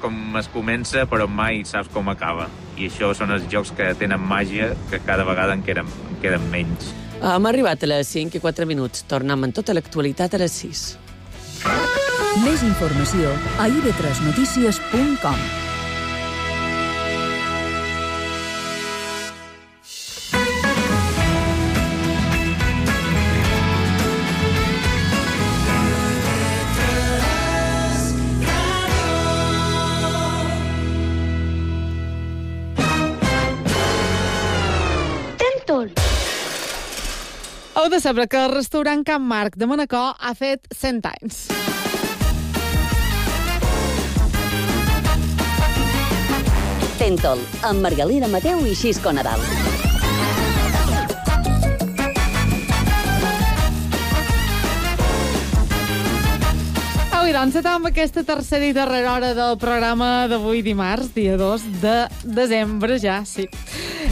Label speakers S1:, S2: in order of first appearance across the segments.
S1: com es comença, però mai saps com acaba. I això són els jocs que tenen màgia, que cada vegada en queden menys.
S2: Hem arribat a les 5 i 4 minuts. Tornem amb tota l'actualitat a les 6.
S3: Més informació a ib3notícies.com.
S4: Heu de saber que el restaurant Can Marc de Manacor ha fet 100 anys.
S5: Tentol, amb Margalida Mateu i Xisco Nadal.
S4: Avui, doncs, amb aquesta tercera i darrera hora del programa d'avui dimarts, dia 2 de desembre, ja, sí.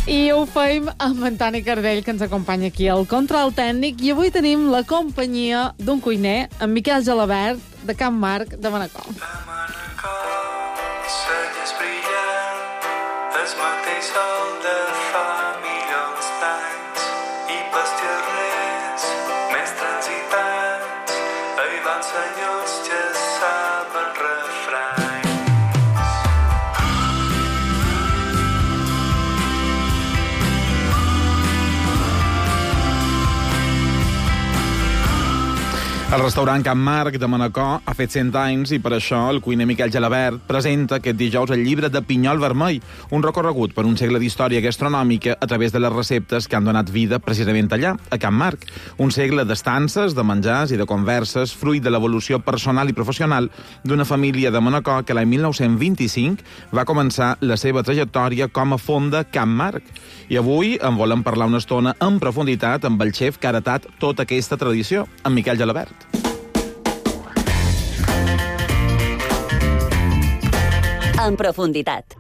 S4: I ho feim amb en Toni Cardell, que ens acompanya aquí al control tècnic, i avui tenim la companyia d'un cuiner, en Miquel Gelabert, de Can Marc de Manacor.
S6: A Manacor, celles brillant, el mateix sol de fa milions d'anys, i pels carrers més transitats, hi van senyors que saben refranys.
S7: El restaurant Can Marc de Manacor ha fet 100 anys i per això el cuiner Miquel Gelabert presenta aquest dijous el llibre de Pinyol Vermell, un recorregut per un segle d'història gastronòmica a través de les receptes que han donat vida precisament allà, a Can Marc. Un segle d'estances, de menjars i de converses, fruit de l'evolució personal i professional d'una família de Manacor que l'any 1925 va començar la seva trajectòria com a fonda Can Marc. I avui en volem parlar una estona en profunditat amb el xef que ha heretat tota aquesta tradició, en Miquel Gelabert.
S5: En profunditat.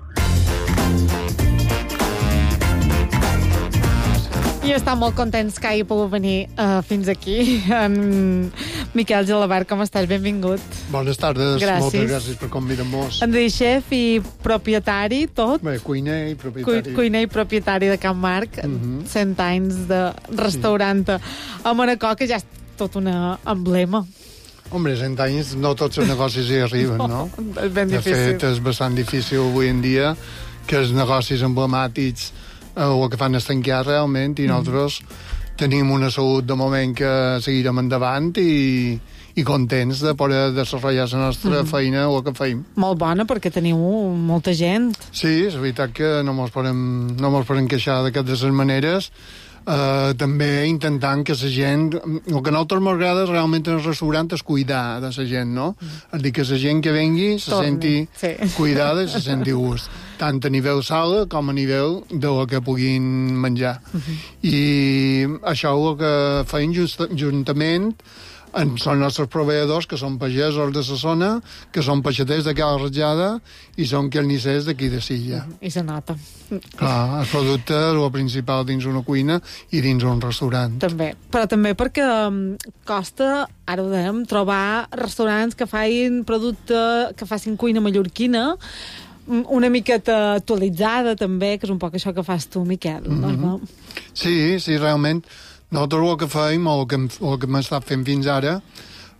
S4: I estem molt contents que hagi pogut venir fins aquí. En Miquel Gelabert, com estàs? Benvingut.
S8: Bones tardes,
S4: gràcies.
S8: Moltes gràcies per convidar-nos.
S4: Ens diu xef i propietari, tot.
S8: Bé, cuiner i propietari.
S4: Cuiner i propietari de Can Marc, 100 anys de restaurant a Manacor, que ja és tot un emblema.
S8: Hombre, 100 anys no tots els negocis hi arriben, no?
S4: És ben difícil.
S8: De fet, és bastant difícil avui en dia que els negocis emblemàtics o que fan es tancar realment i nosaltres tenim una salut de moment que seguirem endavant i contents de poder desenvolupar la nostra feina o el que feim.
S4: Molt bona, perquè teniu molta gent.
S8: Sí, és veritat que no mos podem queixar d'aquestes maneres. També intentant que la gent... El que a nosaltres m'agrada realment en el restaurant és cuidar de la gent, no? És dir, que la gent que vengui se senti cuidada i se senti gust, tant a nivell sala com a nivell del que puguin menjar. I això és el que feim juntament són els nostres proveïdors, que són pagesos de la zona, que són peixaters de Cala Ratjada i són carnissers d'aquí de Silla.
S4: I se nota.
S8: Clar, el producte és el principal dins una cuina i dins un restaurant.
S4: També, però també perquè costa, ara ho dèiem, trobar restaurants que facin producte, que facin cuina mallorquina, una miqueta actualitzada també, que és un poc això que fas tu, Miquel. No?
S8: Sí, realment. Nosaltres el que feim, o el que hem estat fent fins ara,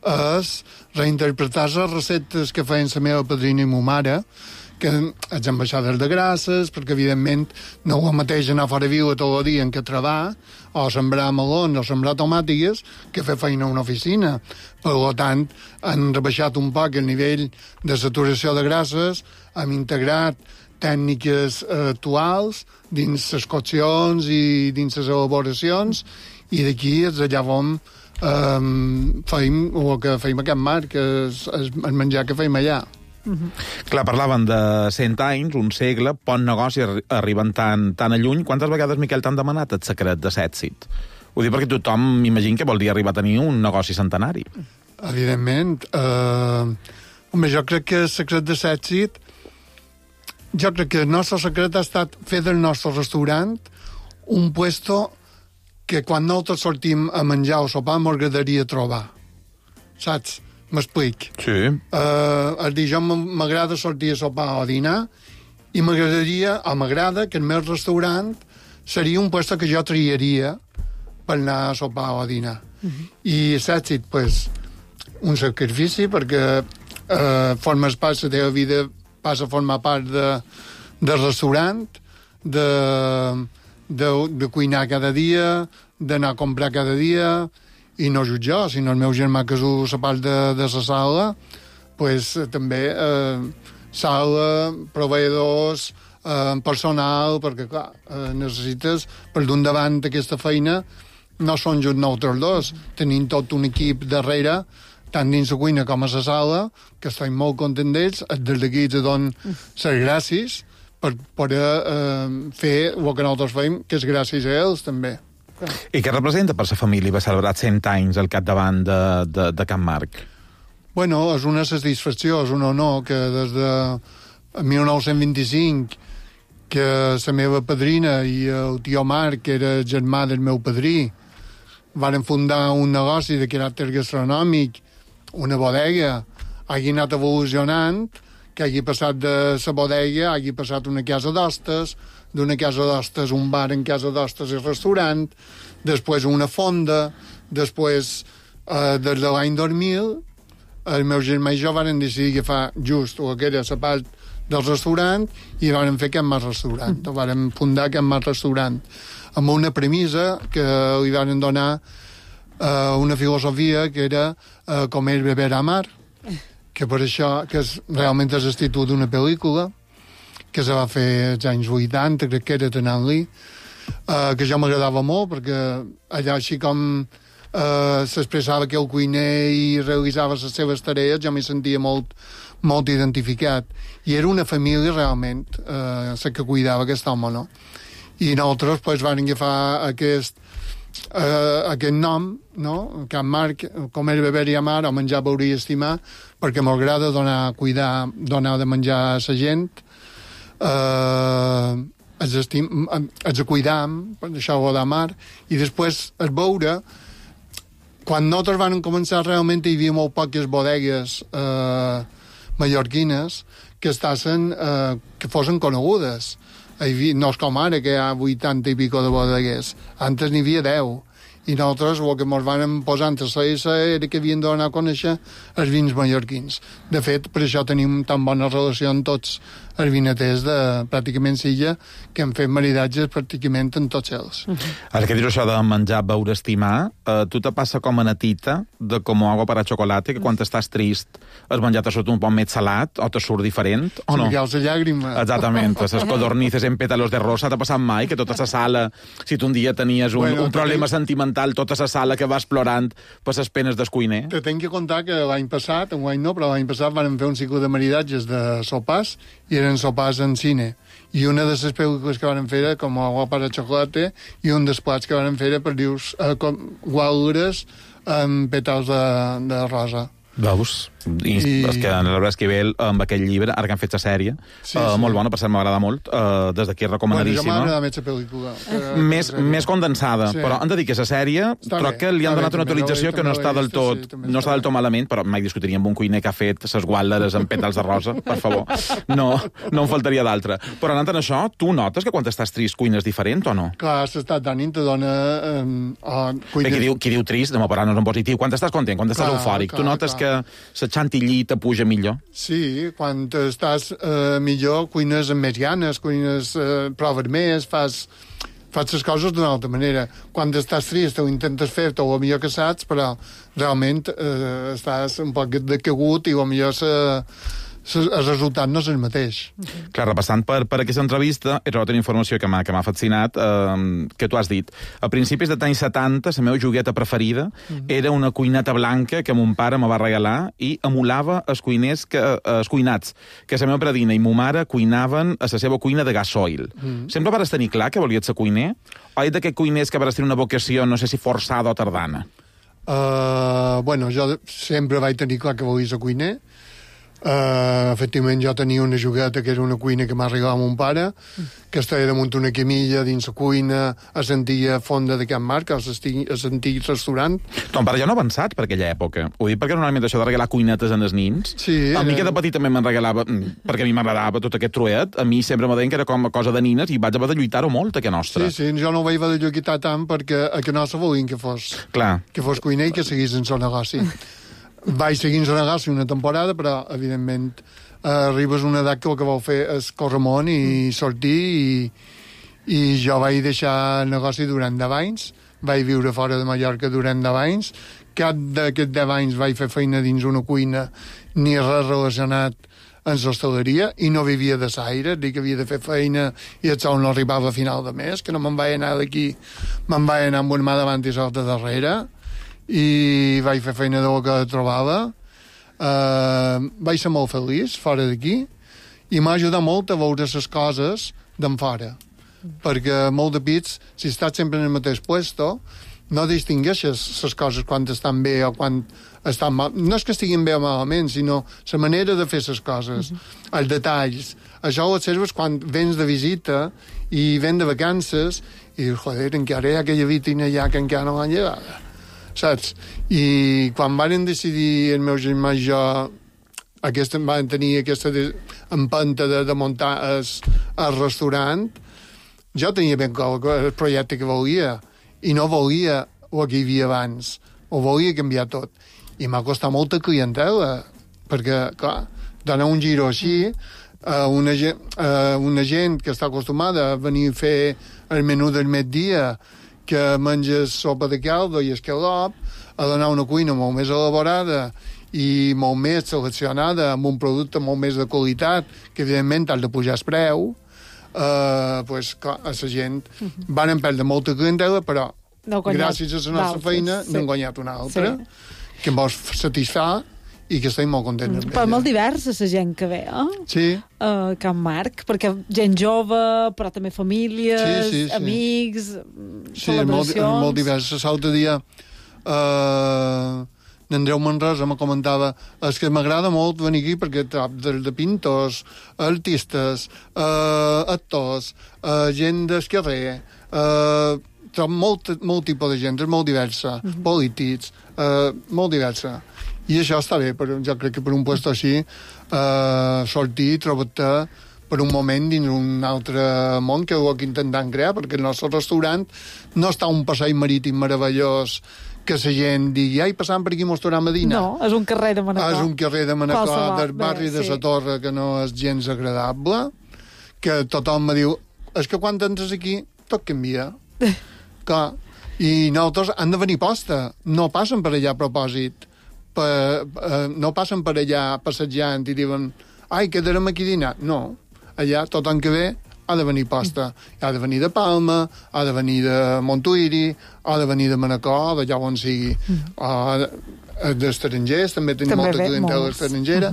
S8: és reinterpretar les receptes que feien la meva padrina i ma mare, que els ambaixades de grasses, perquè evidentment no ho mateix anar fora viu tot el dia en què treballar, o sembrar melons o sembrar tomàtiques, que fer feina a una oficina. Per tant, han rebaixat un poc el nivell de saturació de grasses, hem integrat tècniques actuals dins les coccions i dins les elaboracions, i d'aquí és allà on feim el que feim a Can Marc, que és el menjar que feim allà.
S7: Clar, parlaven de 100 anys, un segle, bon negoci, arriben tan a lluny. Quantes vegades, Miquel, t'han demanat el secret de l'èxit? Ho dic perquè tothom m'imagina que vol dir arribar a tenir un negoci centenari.
S8: Evidentment. Home, jo crec que el secret de l'èxit, jo crec que el nostre secret ha estat fer del nostre restaurant un puesto que quan nosaltres sortim a menjar o sopar m'agradaria trobar. Saps? M'explic.
S7: Sí.
S8: El dijous m'agrada sortir a sopar o a dinar i m'agrada que el meu restaurant seria un lloc que jo triaria per anar a sopar o a dinar. I l'èxit, pues, un sacrifici, perquè formes part, la teva vida passa a formar part del restaurant, de cuinar cada dia, d'anar a comprar cada dia, i no jo jo, sinó el meu germà que és la part de la sala, pues, també sala, proveïdors, personal, perquè, clar, necessites, per d'un davant aquesta feina, no són just nosaltres dos, tenim tot un equip darrere, tant dins la cuina com a la sala, que estem molt contents d'ells, des d'aquí te dono les gràcies per poder fer el que nosaltres fem, que és gràcies a ells, també.
S7: I què representa per la família haver celebrat 100 anys al capdavant de Can Marc?
S8: Bueno, és una satisfacció, és un honor que des de 1925 que la meva padrina i el tio Marc, que era germà del meu padrí, varen fundar un negoci de caràcter gastronòmic, una bodega, hagi anat evolucionant, que hagi passat de la bodega, hagi passat una casa d'hostes, d'una casa d'hostes un bar en casa d'hostes i restaurant, després una fonda, després, des de l'any 2000, el meu germà i jo varen decidir agafar just el que era la part del restaurant i varen fer Can Marc Restaurant, varen fundar Can Marc Restaurant, amb una premissa que li varen donar una filosofia que era comer, beber, amar, que per això, que realment és el títol d'una pel·lícula que se va fer als anys 80, crec que era Tenant-li, que jo m'agradava molt, perquè allà així com s'expressava que el cuiner i realitzava les seves tarees, jo m'hi sentia molt identificat. I era una família realment la que cuidava aquest home, no? I nosaltres pues, vam agafar aquest nom, no? Can Marc, comer, beber i amar, o menjar, beure i estimar, perquè m'agrada donar de menjar a la gent, els cuidam, això ho d'amar, i després el beure. Quan nosaltres vam començar, realment hi havia molt poques bodegues mallorquines que fossin conegudes. No és com ara, que hi ha 80 i pico de bodegues. Antes n'hi havia 10. I nosaltres el que ens vam posar entre era que havien de donar a conèixer els vins mallorquins. De fet, per això tenim tan bona relació amb tots els vinaters de pràcticament Silla, que han fet maridatges pràcticament en tots ells.
S7: Ara que dius això de menjar, beure, estimar, tu te passa com a natita de como agua para chocolate, que quan estàs trist has menjat te surt un poc més salat o te surt diferent, o no?
S8: Sí, la llàgrima.
S7: Exactament, les codornices en pétalos de rosa, t'ha passat mai que tota la sala, si tu un dia tenies un problema sentimental, tota la sala que vas plorant per les penes del cuiner?
S8: Te tenc que contar que l'any passat, però l'any passat vam fer un cicle de maridatges de sopars, i eren sopars en cine. I una de les pel·lícules que van fer era com Agua para Chocolate, i un dels plats que van fer era per dius gualures amb pètals de rosa.
S7: Veus? I és que l'Albert Esquivel, amb aquell llibre, ara que han fet la sèrie, molt bona, per cert, m'agrada molt, des d'aquí recomanadíssima.
S8: Jo m'agrada més la pel·lícula.
S7: Més condensada, però han de dir que la sèrie, crec que li han donat una actualització que no està del tot malament, però mai discutiria amb un cuiner que ha fet ses guàlleres amb pètals de rosa, per favor. No en faltaria d'altra. Però anant en això, tu notes que quan estàs trist cuines diferent o no?
S8: Clar, s'està d'ànim, te dona...
S7: Qui diu trist, demà per no és en positiu. Quan estàs content, quan estàs eufòric, tu notes que la chantilly te puja millor?
S8: Sí, quan estàs millor, cuines amb més ganes, proves més, fas les coses d'una altra manera. Quan estàs trist ho intentes fer-te el millor que saps, però realment estàs un poc decagut i potser el resultat no és el mateix.
S7: Clar, repassant per aquesta entrevista, he trobat una informació que m'ha fascinat, que tu has dit. A principis dels anys 70, la meva jogueta preferida era una cuineta blanca que mon pare me va regalar i emulava els cuinats que la meva predina i ma mare cuinaven a la seva cuina de gasoil. Sempre vas tenir clar que volies ser cuiner? O ets d'aquest cuiners que vas tenir una vocació, no sé si forçada o tardana?
S8: Jo sempre vaig tenir clar que volia ser cuiner. Efectivament, jo tenia una jogueta que era una cuina que m'ha regalat mon pare, que estava damunt una camilla dins la cuina, a l'antiga fonda de Can Marc, a l'antic restaurant.
S7: Ton pare ja no ha avançat per aquella època. Ho dic perquè normalment això de regalar cuinetes en els nins,
S8: Sí,
S7: a mi que de petit també me'n regalava, perquè a mi m'agradava tot aquest truet, a mi sempre m'ha dit que era com a cosa de nines i vaig haver de lluitar-ho molt, a que nostra.
S8: Sí, jo no ho vaig haver de lluitar tant perquè a que nostra volien que fos cuiner i que seguís en el negoci. Vaig seguir en el negoci una temporada, però, evidentment, arribes a una edat que el que vol fer és córrer món i sortir, i jo vaig deixar el negoci durant 10 anys, vaig viure fora de Mallorca durant 10 anys, cap d'aquests 10 anys vaig fer feina dins una cuina ni res relacionat amb l'hostaleria, i no vivia de l'aire, dic que havia de fer feina i el sol no arribava a final de mes, que no me'n vaig anar d'aquí, me'n vaig anar amb una mà davant i l'altra darrere, i vaig fer feina del que trobava. Vaig ser molt feliç fora d'aquí i m'ha ajudat molt a veure les coses d'en fora, perquè molt de pits, si estàs sempre en el mateix puesto, no distingueixes les coses quan estan bé o quan estan mal. No és que estiguin bé o malament, sinó la manera de fer les coses, els detalls. Això ho observes quan vens de visita i vens de vacances i dius, joder, encara hi ha aquella vitrina allà que encara no l'han llegada, saps? I quan van decidir el meu germà i jo van tenir aquesta empenta de muntar el restaurant, jo tenia ben clar el projecte que volia i no volia el que hi havia abans, ho volia canviar tot, i m'ha costat molta clientela perquè, clar, donar un giro així a una gent que està acostumada a venir a fer el menú del migdia, que menges sopa de caldo i escalop, a donar una cuina molt més elaborada i molt més seleccionada, amb un producte molt més de qualitat, que evidentment has de pujar el preu, pues, clar, a la gent van perdre molta clientela, però gràcies a la nostra feina n'hem guanyat una altra, que em vol satisfar i que estem molt contents amb ella.
S4: Però molt diversa la gent que ve,
S8: Sí.
S4: Can Marc, perquè gent jove, però també famílies,
S8: sí.
S4: amics,
S8: Sí,
S4: celebracions...
S8: molt diversa. L'altre dia n'Andreu Manresa me comentava que m'agrada molt venir aquí perquè trob de pintors, artistes, actors, gent del carrer, trob molt tipus de gent, és molt diversa, polítics, molt diversa. I això està bé, però jo crec que per un lloc així sortir i trobar-te per un moment dins un altre món que ho intentant crear, perquè el nostre restaurant no està un passeig marítim meravellós que la gent digui, ai, passant per aquí mos tornem a dinar.
S4: No, és un carrer de Manacor.
S8: És un carrer de Manacor, del barri de la Torre, que no és gens agradable, que tothom me diu, és que quan entres aquí tot canvia. Clar, i nosaltres han de venir posta, no passen per allà a propòsit, no passen per allà passejant i diuen, ai, quedarem aquí a dinar. No, allà tothom que ve ha de venir posta. Ha de venir de Palma, ha de venir de Montuïri, ha de venir de Manacor, d'allà on sigui. D'estrangers, també tenim molta clientela estrangera.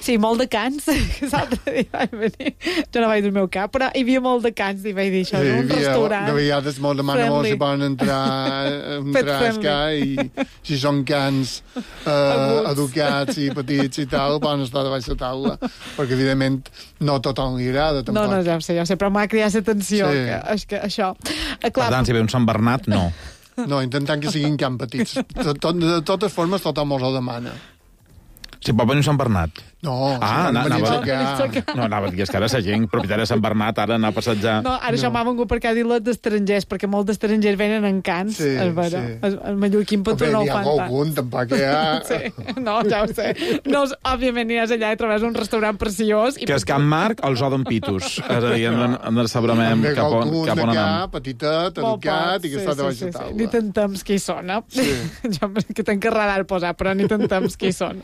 S4: Sí, molt de cans, que l'altre dia vaig venir. Jo no vaig del meu cap, però hi havia molt de cans i vaig dir, això és un restaurant.
S8: De vegades molt demana molt si poden entrar a escar, i si són cans educats i petits i tal, poden estar de baix la taula, perquè evidentment no tothom li agrada, tampoc.
S4: No, ja ho sé, però m'ha cridat l'atenció, que això...
S7: Per tant, si ve un Sant Bernat, no.
S8: No, intentant que siguin can petits. De totes formes, tothom els ho demana.
S7: Si pot venir un Sant Bernat.
S8: No,
S7: anava a dir, és que ara la gent propietària de Sant Bernat ara anar a passejar...
S4: No, ara això m'ha vengut perquè ha dit les d'estrangers, perquè molts d'estrangers venen en cans, és vera. El mallorquín Petó no ho fan tant.
S8: Algun, tampoc hi ha...
S4: No, ja ho sé. No, òbviament aniràs allà i trobes un restaurant preciós...
S7: Que és Can Marc o els Odon Pitus. És a dir, ens sabrem cap on anem.
S8: Petitet, educat, i que està de baix a taula.
S4: Ni tant temps que hi sona. Jo que tenc que radar posar, però ni tant temps que hi són.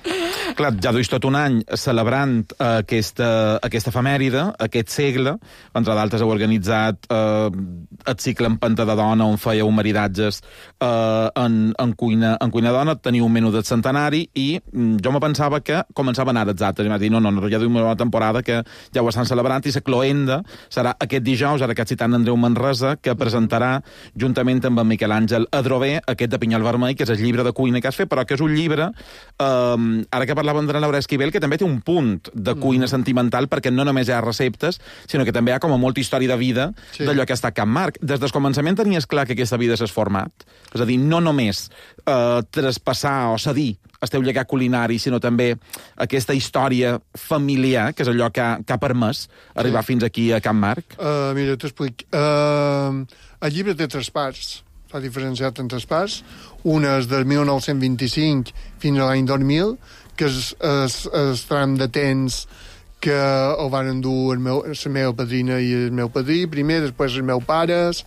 S7: Clar, ja duis tot un any celebrant aquesta efemèride, aquest segle. Entre d'altres heu organitzat el cicle en Panta de Dona, on fèieu maridatges en cuina dona. Teniu un menú del centenari i jo me pensava que començaven ara exacte. I m'ha dit, no, ja duim una temporada que ja ho estan celebrant, i la cloenda serà aquest dijous, ara que has citat Andreu Manresa, que presentarà juntament amb en Miquel Àngel Adrover aquest de Pinyol Vermell, que és el llibre de cuina que has fet, però que és un llibre, ara que parlàvem de Laura Esquivel, que també té un punt de cuina sentimental perquè no només hi ha receptes, sinó que també hi ha com a molta història de vida d'allò que ha estat Can Marc. Des del començament tenies clar que aquesta vida s'ha format? És a dir, no només traspassar o cedir el teu llegat culinari, sinó també aquesta història familiar, que és allò que ha permès arribar fins aquí a Can Marc?
S8: Mira, t'explico. El llibre té 3 parts. S'ha diferenciat en 3 parts. Una és del 1925 fins a l'any 2000, que és el tram de temps que ho van endur la meva padrina i el meu padrí, primer, després els meus pares.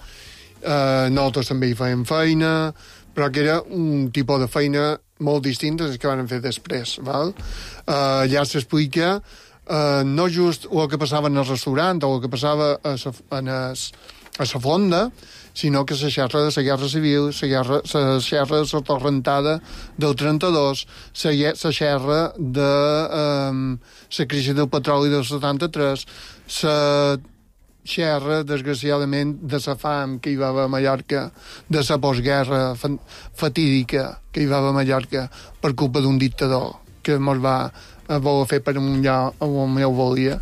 S8: Nosaltres també hi fèiem feina, però que era un tipus de feina molt distint als que van fer després. Val? Allà s'explica no just el que passava en el restaurant o el que passava a la fonda, sinó que la xerra de la Guerra Civil, la xerra de la torrentada del 32, la xerra de la crisi del petroli del 73, la xerra, desgraciadament, de la fam que hi va haver a Mallorca, de la postguerra fatídica que hi va haver a Mallorca per culpa d'un dictador que mos va voler fer per un lloc on ho volia.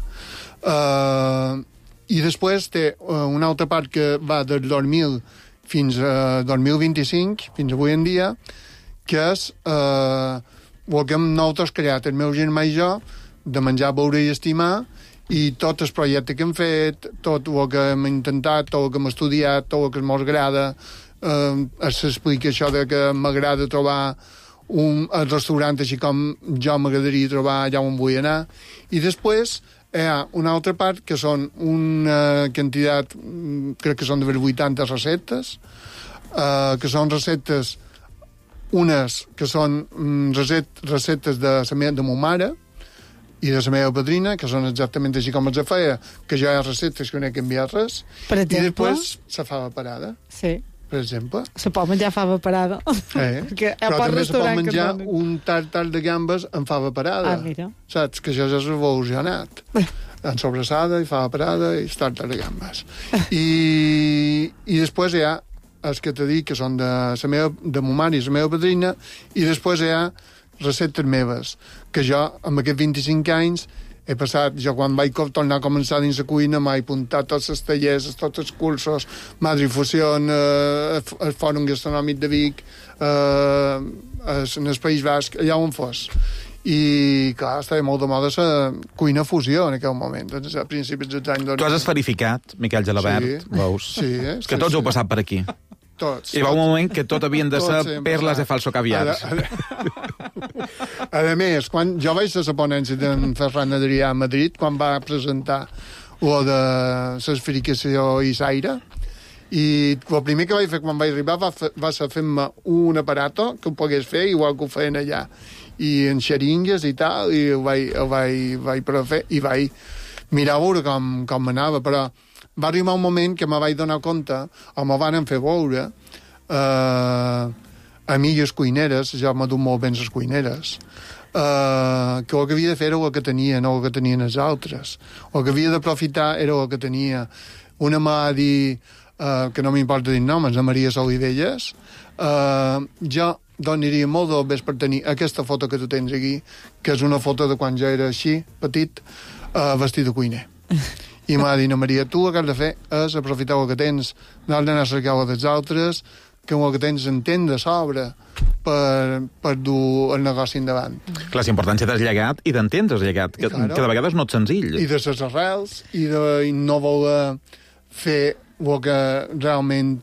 S8: I després té una altra part que va del 2000 fins a 2025, fins avui en dia, que és el que hem nosaltres creat, el meu germà i jo, de menjar, beure i estimar, i tot el projecte que hem fet, tot el que hem intentat, tot el que hem estudiat, tot el que ens agrada, s'explica això de que m'agrada trobar un restaurant així com jo m'agradaria trobar allà on vull anar. I després hi ha una altra part que són una quantitat, crec que són de 80 receptes, que són receptes, unes que són receptes de ma mare i de la meva padrina, que són exactament així com els feia, que jo hi ha receptes que no he canviat res,
S4: per exemple?
S8: I després la fava parada.
S4: Sí.
S8: Per exemple.
S4: Se pot menjar fava parada.
S8: Però també se pot menjar un tartar de gambes amb fava parada.
S4: Mira.
S8: Saps? Que això ja s'ha evolucionat. En sobrassada i fava parada i tartar de gambes. I després hi ha els que t'he dit que són de ma mare i la meva padrina, i després hi ha receptes meves, que jo, amb aquests 25 anys, he passat, jo quan vaig tornar a començar dins la cuina m'he apuntat tots els tallers, tots els cursos, Madrifusió, el Fòrum Gastronòmic de Vic, en el País Basc, allà on fos. I, clar, estava molt de moda la cuina fusió en aquell moment, a principis dels anys 2000.
S7: Tu has esferificat, Miquel Gelabert, veus?
S8: Sí,
S7: que tots heu passat per aquí.
S8: Tots.
S7: Hi va un moment que tot havien de ser perles de falso caviar.
S8: A més, quan jo vaig a la ponència d'en Ferran Adrià a Madrid, quan va presentar lo de l'esferificació i l'aire, i el primer que vaig fer quan vaig arribar va ser fer-me un aparato que ho pogués fer, igual que ho feien allà, i en xeringues i tal, i ho vaig fer, i vaig mirar a veure com anava, però va arribar un moment que me vaig donar compte, o me van fer veure, amigues cuineres, jo m'ha dut molt ben les cuineres, que el que havia de fer era el que tenien, no el que tenien els altres. El que havia d'aprofitar era el que tenia. Una m'ha dit, que no m'importa dir noms, la Maria Solivelles, jo donaria molt del bes per tenir aquesta foto que tu tens aquí, que és una foto de quan jo era així, petit, vestit de cuiner. I m'ha dit, no, Maria, tu el que has de fer és aprofitar el que tens, no has d'anar a cercar el dels altres, que el que tens entén de sobre per dur el negoci endavant.
S7: Clar, la importància del llegat i d'entendre el llegat, que de vegades no és senzill.
S8: I de les arrels, i de no voler fer el que realment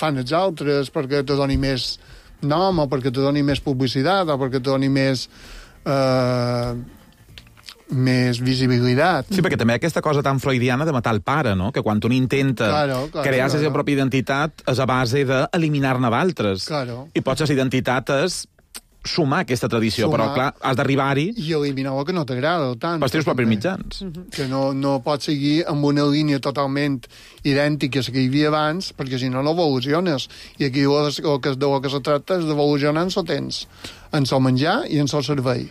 S8: fan els altres perquè te doni més nom, o perquè te doni més publicitat, o perquè te doni més visibilitat.
S7: Sí, perquè també aquesta cosa tan freudiana de matar el pare, no? Que quan un intenta crear la seva pròpia identitat és a base d'eliminar-ne d'altres. I potser la identitat és sumar aquesta tradició, però clar, has d'arribar-hi...
S8: I eliminar el que no t'agrada tant.
S7: Pels teus propis mitjans.
S8: Que no pots seguir amb una línia totalment idèntica a la que hi havia abans, perquè si no evoluciones. I aquí el que se tracta és d'evolucionar en el temps, en el menjar i en el servei.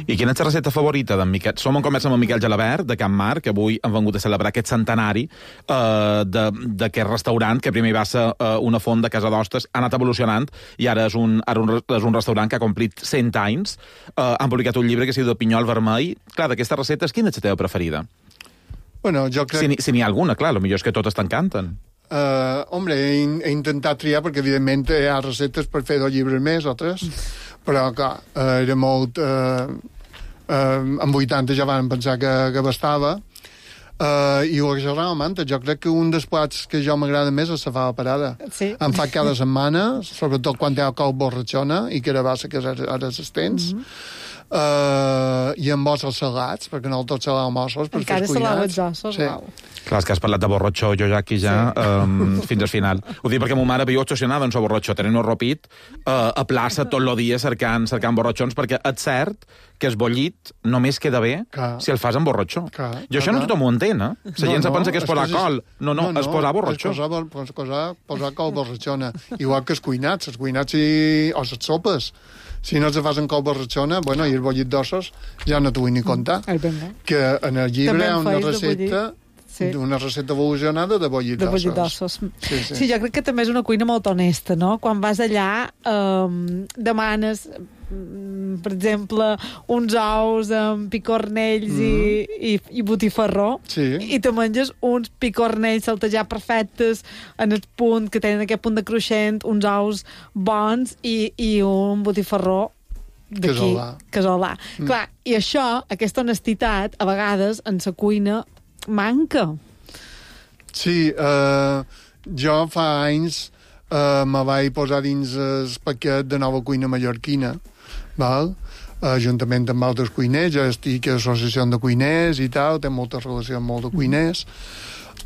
S7: I quina és la recepta favorita d'en Miquel? Som en conversa amb en Miquel Gelabert, de Can Marc, que avui han vengut a celebrar aquest centenari d'aquest restaurant, que primer va ser una font de casa d'hostes, ha anat evolucionant, i ara és un restaurant que ha complit 100 anys. Han publicat un llibre que es diu de Pinyol Vermell. Clar, d'aquestes receptes, quina és la teva preferida?
S8: Bueno, jo crec...
S7: Si n'hi ha alguna, clar, potser és que totes t'encanten.
S8: Hombre, he intentat triar, perquè evidentment hi ha receptes per fer 2 llibres més o 3, però clar, era molt... en 80 ja van pensar que bastava, i ho exagerava manta. Jo crec que un dels plats que jo m'agrada més és la fava parada.
S4: Sí.
S8: Em fa cada setmana, sobretot quan hi ha col borratxona i carabassa, que ara s'estens, i amb ossos salats, perquè no tot salàvem ossos per fer
S4: encara
S8: cuinats.
S4: salava els ossos,
S8: Sí.
S4: uau.
S7: Clar, és que has parlat de borratxó, jo ja aquí fins al final. Ho dic perquè ma mare viu obsessionada en el borratxó, tenint un ropit a plaça tot el dia cercant borratxons, perquè és cert que el bollit només queda bé si el fas amb borratxó. I això no tothom ho entén, eh? La gent se pensa que és posar col. No, és posar borratxó.
S8: És posar col borratxona. Igual que els cuinats o les sopes. Si no se fas en col borratxona, bueno, i el bollit d'ossos ja no t'ho vull ni contar. Que en el llibre hi ha una recepta... Sí. Una recepta evolucionada de bollit d'ossos.
S4: Sí, jo crec que també és una cuina molt honesta, no? Quan vas allà demanes, per exemple, uns ous amb picornells i botifarró, i te menges uns picornells saltejats perfectes en el punt, que tenen aquest punt de cruixent, uns ous bons i un botifarró d'aquí, casolà. Clar, i això, aquesta honestitat, a vegades, en la cuina manca.
S8: Sí, jo fa anys me vaig posar dins el paquet de nova cuina mallorquina, val? Juntament amb altres cuiners, jo estic a l'associació de cuiners i tal, té molta relació amb molt de cuiners,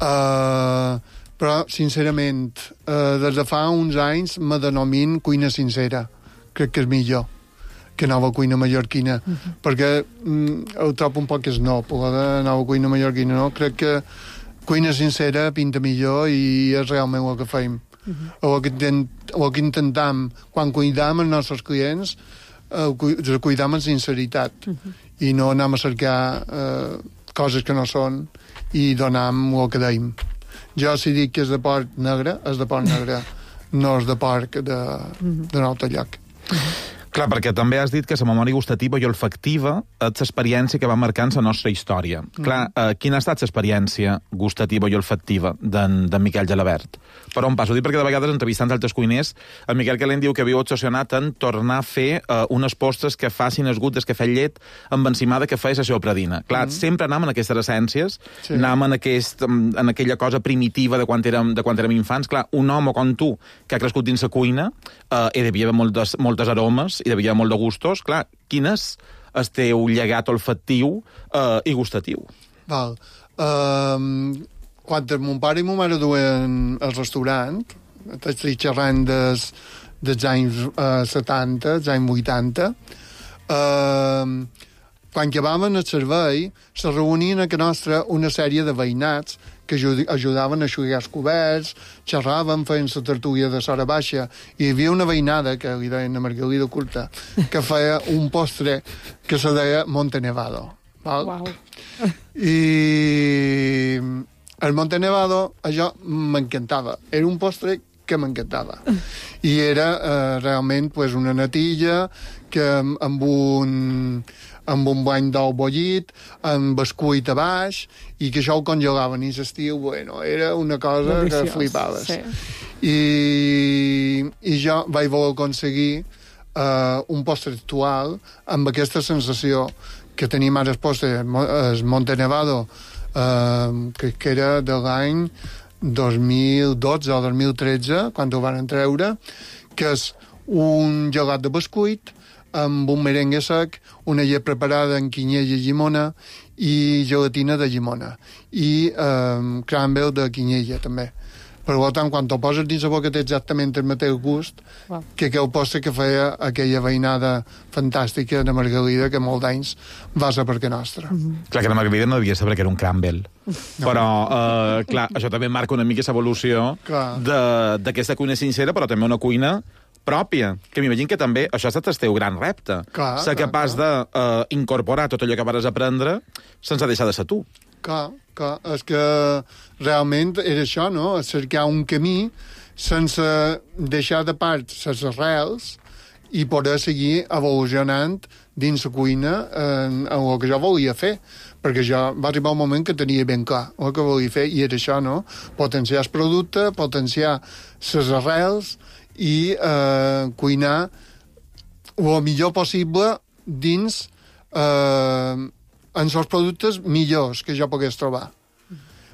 S8: però, sincerament, des de fa uns anys me denomino cuina sincera. Crec que és millor que nova cuina mallorquina, perquè ho trobo un poc snob, la de nova cuina mallorquina, no? Crec que cuina sincera pinta millor i és realment el que fem. O el que intentem, quan cuidam els nostres clients, cuidam amb sinceritat i no anem a cercar coses que no són i donem el que deim. Jo, si dic que és de porc negre, és de porc negre, no és de porc d'un altre lloc.
S7: Clar, perquè també has dit que la memòria gustativa i olfactiva és l'experiència que va marcant la nostra història. Clar, quina ha estat l'experiència gustativa i olfactiva d'en Miquel Gelabert? Per on passo? Ho dic perquè de vegades, entrevistant altres cuiners, el Miquel Calent diu que viu obsessionat en tornar a fer unes postres que facin el gust des que fet llet amb encimada que feia la seva predina. Clar, sempre anàvem en aquestes essències, anàvem en aquella cosa primitiva de quan érem infants. Clar, un home com tu, que ha crescut dins la cuina, hi devia haver moltes aromes, hi devia haver molt de gustos. Clar, quin és el teu llegat olfactiu i gustatiu?
S8: Val. Quan mon pare i ma mare duen al restaurant, estic xerrant dels anys 70, dels anys 80, quan acabaven el servei, se reunien a casa nostra una sèrie de veïnats que ajudaven a eixugar els coberts, xerraven, feien la tertúlia de Sora Baixa, i hi havia una veïnada, que li deien Margalida Curta, que feia un postre que se deia Monte Nevado. Val?
S4: Wow.
S8: I el Monte Nevado, això m'encantava. Era un postre que m'encantava. I era realment pues, una natilla que amb un bany d'ou bullit, amb bescuit a baix, i que això ho congelaven i l'estiu, bueno, era una cosa deliciós, que flipaves. Sí. I jo vaig voler aconseguir un postre actual amb aquesta sensació que tenim ara el postre, el Monte Nevado, que era de l'any 2012 o 2013, quan ho van treure, que és un gelat de bescuit amb un merengue sec, una llet preparada amb quinyella i llimona i gelatina de llimona i crumble de quinyella també. Per tant, quan t'ho poses dins la boca té exactament el mateix gust que aquell postre que feia aquella veïnada fantàstica de Margalida que molt d'anys va ser per casa nostra.
S7: Clar, que la Margalida no devia saber que era un crumble. Però, clar, això també marca una mica l'evolució d'aquesta cuina sincera, però també una cuina pròpia, que m'imagino que també això ha estat el teu gran repte. Ser capaç d'incorporar tot allò que vas aprendre sense deixar de ser tu.
S8: Clar, és que realment era això, no? Cercar un camí sense deixar de part les arrels i poder seguir evolucionant dins la cuina en el que jo volia fer. Perquè jo va arribar un moment que tenia ben clar el que volia fer, i era això, no? Potenciar el producte, potenciar les arrels i cuinar el millor possible dins en els productes millors que jo pogués trobar.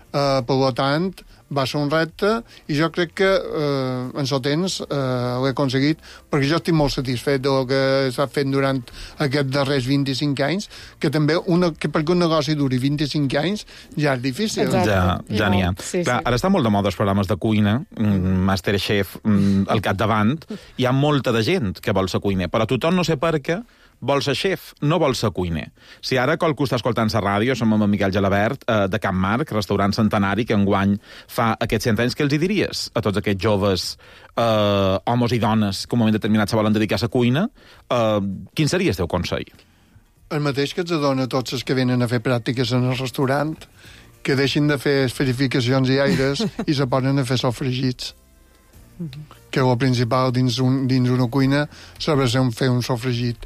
S8: Per tant, va ser un repte i jo crec que en el temps l'he aconseguit, perquè jo estic molt satisfet del que s'ha fet durant aquests darrers 25 anys, que també perquè un negoci duri 25 anys ja és difícil.
S7: Ja n'hi ha.
S4: Sí,
S7: Clar,
S4: sí.
S7: ara està molt de moda els programes de cuina, Masterchef al capdavant, hi ha molta de gent que vol ser cuiner, però tothom, no sé per què, vol ser xef, no vol ser cuiner. Si ara qualcú està escoltant la ràdio, som amb en Miquel Gelabert, de Can Marc, restaurant centenari, que enguany fa aquests 100 anys, què els hi diries a tots aquests joves homes i dones que en un moment determinat se volen dedicar a la cuina? Quin seria el teu consell?
S8: El mateix que ens dona a tots els que venen a fer pràctiques en el restaurant, que deixin de fer esferificacions i aires i se posen a fer sofregits. Que el principal dins una cuina s'ha de fer un sofregit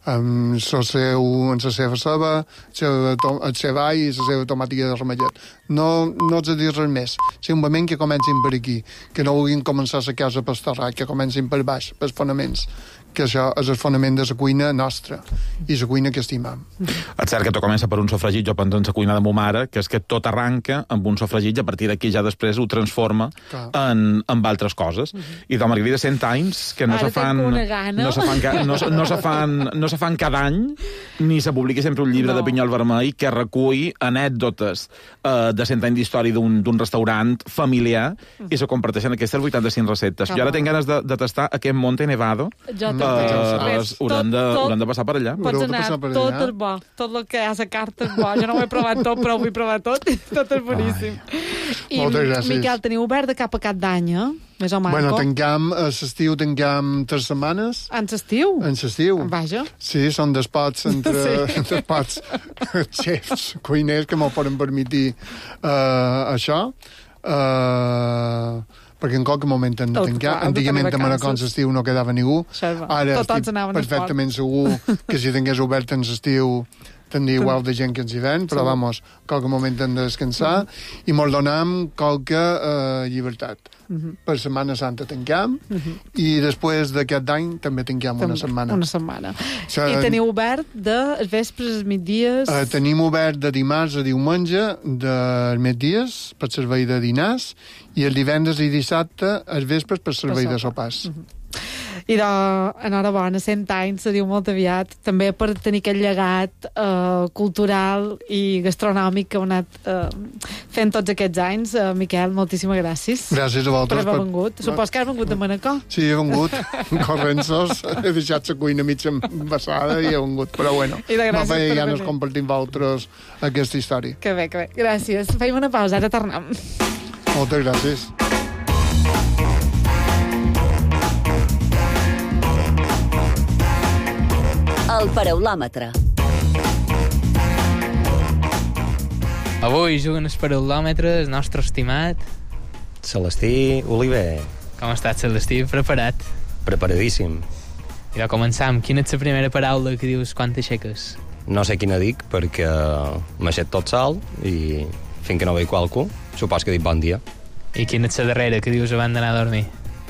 S8: amb la seva ceba, el seu all i la seva tomàtica de ramellet. No ets a dir res més. Simplement que comencin per aquí, que no vulguin començar la casa per terrat, que comencin per baix, pels fonaments, que això és el fonament de la cuina nostra i la cuina que estimam.
S7: És cert que tot comença per un sofregit, jo penso en la cuina de ma mare, que és que tot arranca amb un sofregit i a partir d'aquí ja després ho transforma en altres coses. I de Margarida, 100 anys que no se fan... No se fan cada any, ni se publica sempre un llibre de Pinyol Vermell que recull anècdotes de 100 anys d'història d'un restaurant familiar i se comparteixen aquestes 85 receptes. Jo ara tinc ganes de tastar aquest Monte Nevado.
S4: Jo també.
S7: Haurem de passar per allà.
S4: Pots anar, tot és bo. Tot el que hi ha a la carta és bo. Jo no ho he provat tot, però ho vull provar tot. Tot és boníssim. I, Miquel, teniu obert de cap a cap d'any, eh? Més o manco.
S8: Bueno, tanquem, a l'estiu tanquem 3 setmanes.
S4: En l'estiu?
S8: En l'estiu.
S4: Vaja.
S8: Sí, són despots entre pots xefs, cuiners que m'ho poden permetir això. Perquè en qualque moment hem de tancar. Antigament a Manacons l'estiu no quedava ningú. Ara estic perfectament segur que si tingués obert en l'estiu tindria igual de gent que ens hi ven, però vamos, qualque moment hem de descansar i mos donem qualque llibertat. Per Setmana Santa tanquem i després d'aquest any també tanquem una setmana.
S4: Una setmana. I teniu obert de vespres, migdies?
S8: Tenim obert de dimarts a diumenge, de migdies per servei de dinars i el divendres i dissabte els vespres per servei de sopars.
S4: I enhorabona, 100 anys, se diu molt aviat, també per tenir aquest llegat cultural i gastronòmic que heu anat fent tots aquests anys. Miquel, moltíssimes gràcies.
S8: Gràcies a vosaltres.
S4: Per haver vengut. Supos que has vengut de Manacor.
S8: Sí, he vengut, corrents-os, he deixat la cuina mig embassada i he vengut, però bueno, no feia ganes compartir amb vosaltres aquesta història.
S4: Que bé, que bé. Gràcies. Feim una pausa, ara tornem.
S8: Moltes gràcies.
S5: El paraulòmetre.
S9: Avui juguen el paraulòmetre el nostre estimat
S10: Celestí Oliver.
S9: Com estàs, Celestí? Preparat?
S10: Preparadíssim.
S9: I va començar amb quina és la primera paraula que dius quan t'aixeques?
S10: No sé quina dic perquè m'aixec tot sol i fins que no veig qualcú supos que dic bon dia.
S9: I quina és la darrera que dius abans d'anar a dormir?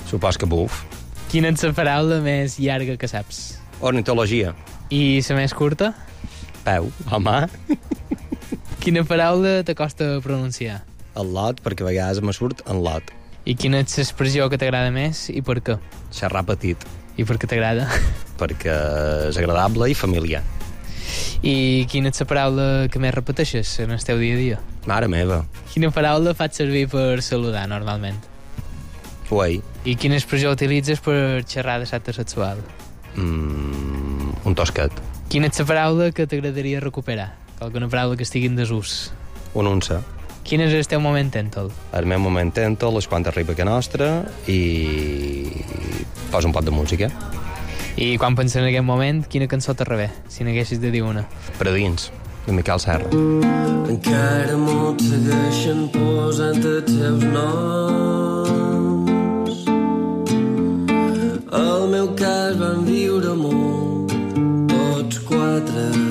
S10: Supos que buf.
S9: Quina és la paraula més llarga que saps?
S10: Ornitologia.
S9: I la més curta?
S10: Peu. O mà.
S9: Quina paraula t'acosta a pronunciar?
S10: El lot, perquè a vegades me surt en lot.
S9: I quina és l'expressió que t'agrada més i per què?
S10: Xerrar petit.
S9: I per què t'agrada?
S10: Perquè és agradable i familiar.
S9: I quina és la paraula que més repeteixes en el teu dia a dia?
S10: Mare meva.
S9: Quina paraula faig servir per saludar normalment?
S10: Uei.
S9: I quina expressió utilitzes per xerrar de l'acte sexual?
S10: Un tosquet.
S9: Quina és la paraula que t'agradaria recuperar? Alguna paraula que estigui en desús?
S10: Un unça.
S9: Quin és el teu moment tèntol?
S10: El meu moment tèntol és quan arriba a nostra i posa un pot de música.
S9: I quan penses en aquest moment, quina cançó t'arribé, si n'haguessis de dir una?
S10: Per a dins, de Miquel Serra.
S11: Encara molts segueixen posant els seus noms. Al meu cas van viure molt, tots 4.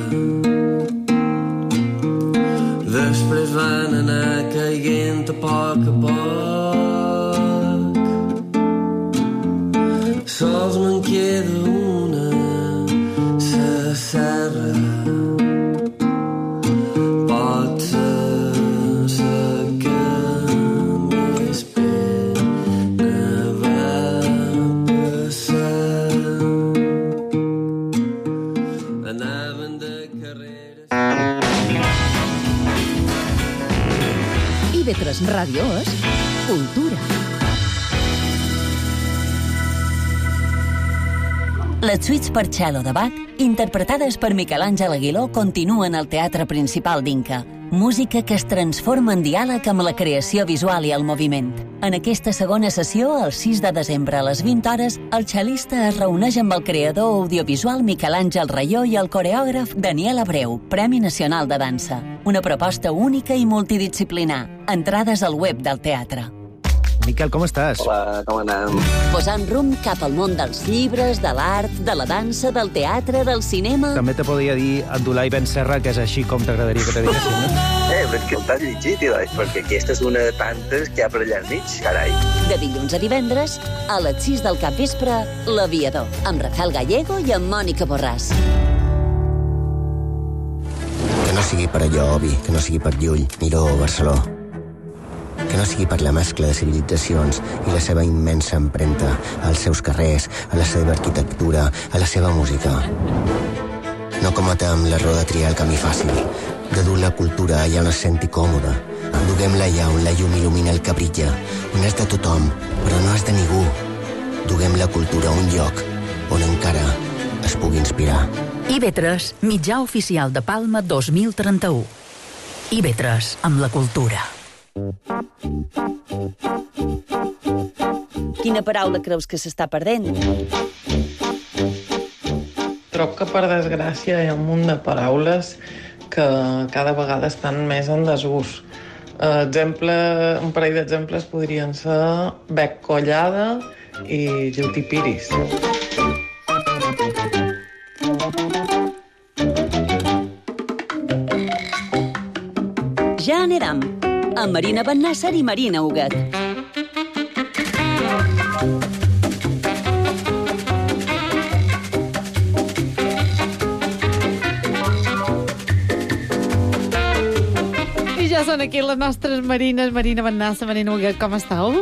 S11: Després van anar caient a poc. Sols me'n queda una, sa serra. Pot ser sa que més pena va passar. Anaven de carreres.
S3: IB3 Ràdio és cultura.
S5: Les suites per cello de Bach, interpretades per Miquel Àngel Aguiló, continuen al Teatre Principal d'Inca. Música que es transforma en diàleg amb la creació visual i el moviment. En aquesta segona sessió, el 6 de desembre a les 20 hores, el xelista es reuneix amb el creador audiovisual Miquel Àngel Rayó i el coreògraf Daniel Abreu, Premi Nacional de Dansa. Una proposta única i multidisciplinar. Entrades al web del teatre.
S12: Miquel, com estàs?
S13: Hola, com anem?
S5: Posant rumb cap al món dels llibres, de l'art, de la dansa, del teatre, del cinema...
S12: També te podria dir Abdulai Ben Serra, que és així com t'agradaria que te diguessin, no?
S13: Però que t'has llegit, perquè aquesta és una de tantes que hi ha per allà al mig, carai.
S5: De dilluns a divendres, a les 6 del capvespre, L'Aviador, amb Rafael Gallego i amb Mònica Borràs.
S14: Que no sigui per allò, Obi, que no sigui per Llull, Miró o Barceló. Que no sigui per la mescla de civilitzacions i la seva immensa empremta als seus carrers, a la seva arquitectura, a la seva música. No cometem l'error de triar el camí fàcil, de dur la cultura allà on es senti còmode. Duguem-la allà on la llum il·lumina el que brilla, on és de tothom, però no és de ningú. Duguem la cultura a un lloc on encara es pugui inspirar.
S3: IB3, mitjà oficial de Palma 2031. IB3, amb la cultura.
S5: Quina paraula creus que s'està perdent?
S15: Trobo que, per desgràcia, hi ha un munt de paraules que cada vegada estan més en desús. Un parell d'exemples podrien ser bec collada i jutipiris.
S5: Ja anirem, amb Marina Bennàsser i Marina Huguet.
S4: I ja són aquí les nostres Marines, Marina Bennàsser, Marina Huguet, com estàu?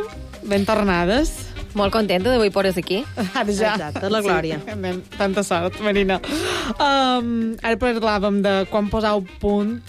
S4: Ben tornades?
S16: Molt contenta d'avui pores aquí.
S4: Ara ja.
S16: Exacte, la glòria.
S4: Sí, tanta sort, Marina. Ara parlàvem de quan posau punt...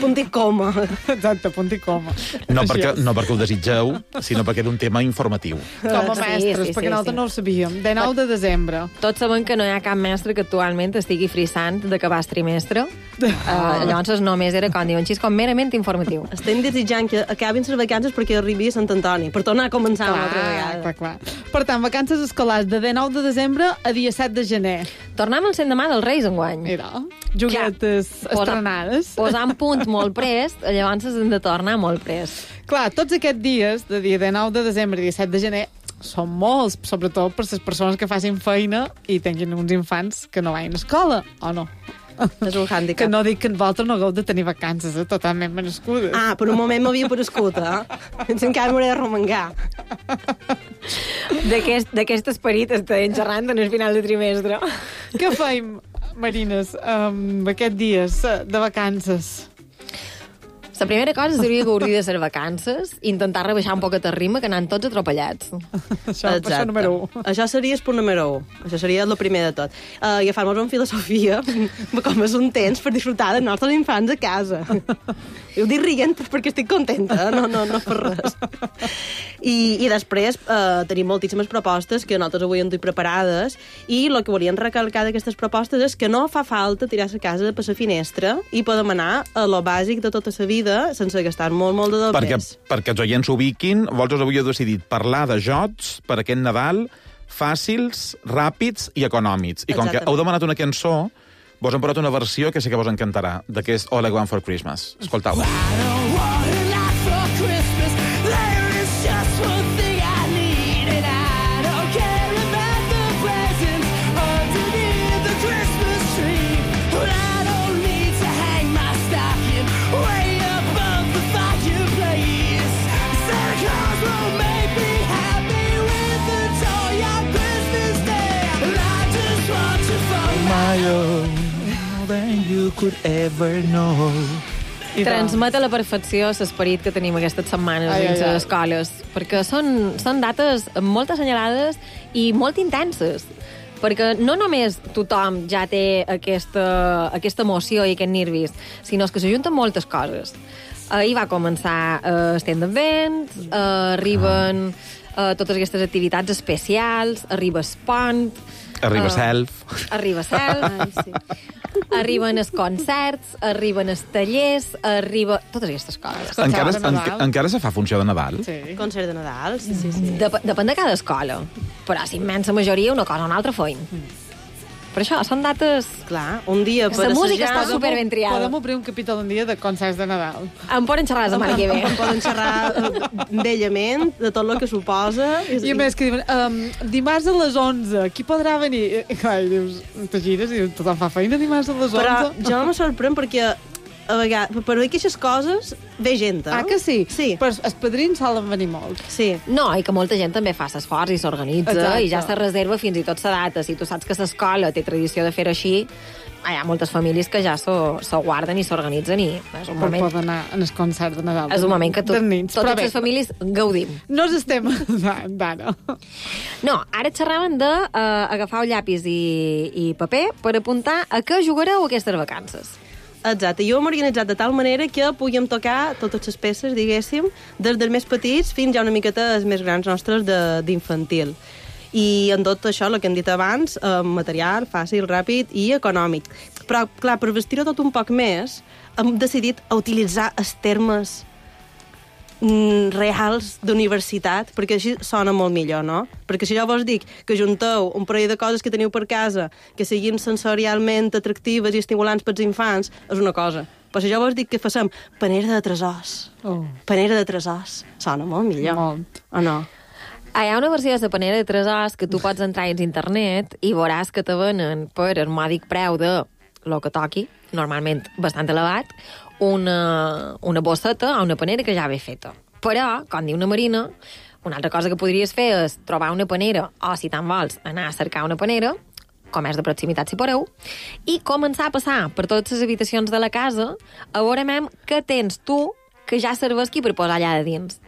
S16: Punt i coma.
S4: Exacte, punt i coma.
S7: No perquè ho desitgeu, sinó perquè era un tema informatiu.
S4: Com a mestres, perquè nosaltres no ho sabíem. De 9 de desembre.
S16: Tots sabem que no hi ha cap mestre que actualment estigui frissant d'acabar el trimestre. Llavors només era, com diuen, com merament informatiu.
S17: Estem desitjant que acabin les vacances perquè arribi a Sant Antoni, per tornar a començar una altra vegada.
S4: Clar. Per tant, vacances escolars de 9 de desembre a dia 7 de gener.
S16: Tornem al cent demà dels Reis enguany.
S4: Mira, juguetes estrenades.
S16: Posant punts molt prest, llavors hem de tornar molt prest.
S4: Clar, tots aquests dies, de dia de 9 de desembre i 7 de gener, són molts, sobretot per les persones que facin feina i tinguin uns infants que no vagin a escola, o no?
S17: És un hàndicap.
S4: Que no dic que vosaltres no hagueu de tenir vacances, totalment merescudes.
S17: Ah, per un moment m'havia parescut, encara m'hauré de remengar.
S16: D'aquest esperit estem xerrant en el final de trimestre.
S4: Què feim, Marines, aquests dies de vacances?
S16: La primera cosa seria gaudir de les vacances i intentar rebaixar un poquet el ritme, que anem tots atropellats.
S4: Això número 1.
S17: Això seria el punt número 1. Això seria el primer de tot. Agafar-nos en filosofia, com és un temps per disfrutar dels nostres infants a casa. Ho dic rient perquè estic contenta, no per res. I després tenim moltíssimes propostes que nosaltres avui hem preparades i el que volíem recalcar d'aquestes propostes és que no fa falta tirar-se a casa per la finestra i podem anar a lo bàsic de tota la vida, ràpida, sense gastar molt de diners.
S7: Perquè els oients s'ubiquin, vosaltres avui heu decidit parlar de jocs per aquest Nadal fàcils, ràpids i econòmics. I com que heu demanat una cançó, vos hem posat una versió que sé que vos encantarà, d'aquest All I Want for Christmas. Escoltau-la.
S12: Could ever know.
S16: Transmet a la perfecció l'esperit que tenim aquestes setmanes dins les escoles, perquè són dates molt assenyalades i molt intenses, perquè no només tothom ja té aquesta emoció i aquest nervis, sinó que s'ajunten moltes coses. Ahir va començar Stand Event, arriben totes aquestes activitats especials, arriba Spont...
S7: Arriba Self.
S16: Arriba Self. Sí. Arriben els concerts, arriben els tallers, totes aquestes coses.
S7: Encara se fa funció de Nadal?
S17: Sí. Concert de Nadal, sí.
S16: Depèn de cada escola, però si immensa majoria una cosa o una altra feien. Per això, són dates...
S17: Clar, un dia per
S16: assajar... La música està superben triada.
S4: Podem obrir un capítol un dia de concerts de Nadal.
S16: Em poden xerrar la setmana que ve.
S17: Em poden xerrar bellament de tot el que suposa.
S4: I a més que diuen, dimarts a les 11, qui podrà venir? I clar, i dius, te gires i tothom fa feina dimarts a les 11.
S17: Però jo no me sorprèn perquè a vegades, per dir aquestes coses, ve gent, eh?
S4: Ah, que sí?
S17: Sí.
S4: Però els padrins solen venir molt.
S17: Sí.
S16: No, i que molta gent també fa l'esforç i s'organitza i ja se reserva fins i tot la data. Si tu saps que l'escola té tradició de fer-ho així, hi ha moltes famílies que ja s'ho guarden i s'organitzen i és un moment...
S4: Per poder anar als concerts de Nadal.
S16: És un moment que totes les famílies gaudim.
S4: No estem d'ara.
S16: No, ara xerraven d'agafar un llapis i paper per apuntar a què jugareu aquestes vacances.
S17: Exacte, jo m'he organitzat de tal manera que puguem tocar totes les peces, diguéssim, des dels més petits fins ja una miqueta els més grans nostres d'infantil. I en tot això, el que hem dit abans, material, fàcil, ràpid i econòmic. Però, clar, per vestir-ho tot un poc més, hem decidit utilitzar els termes reals d'universitat, perquè així sona molt millor, no? Perquè si jo vos dic que junteu un parell de coses que teniu per casa que siguin sensorialment atractives i estimulants pels infants, és una cosa. Però si jo vos dic que facem panera de tresors, sona molt millor.
S4: Molt.
S17: O no?
S16: Hi ha una versió de la panera de tresors que tu pots entrar a internet i veuràs que te venen per el mòdic preu de lo que toqui, normalment bastant elevat, una bosseta o una panera que ja ve feta. Però, com diu una Marina, una altra cosa que podries fer és trobar una panera, o si te'n vols, anar a cercar una panera, comerç de proximitat si podeu, i començar a passar per totes les habitacions de la casa a veure què tens tu que ja serveixi per posar allà de dins.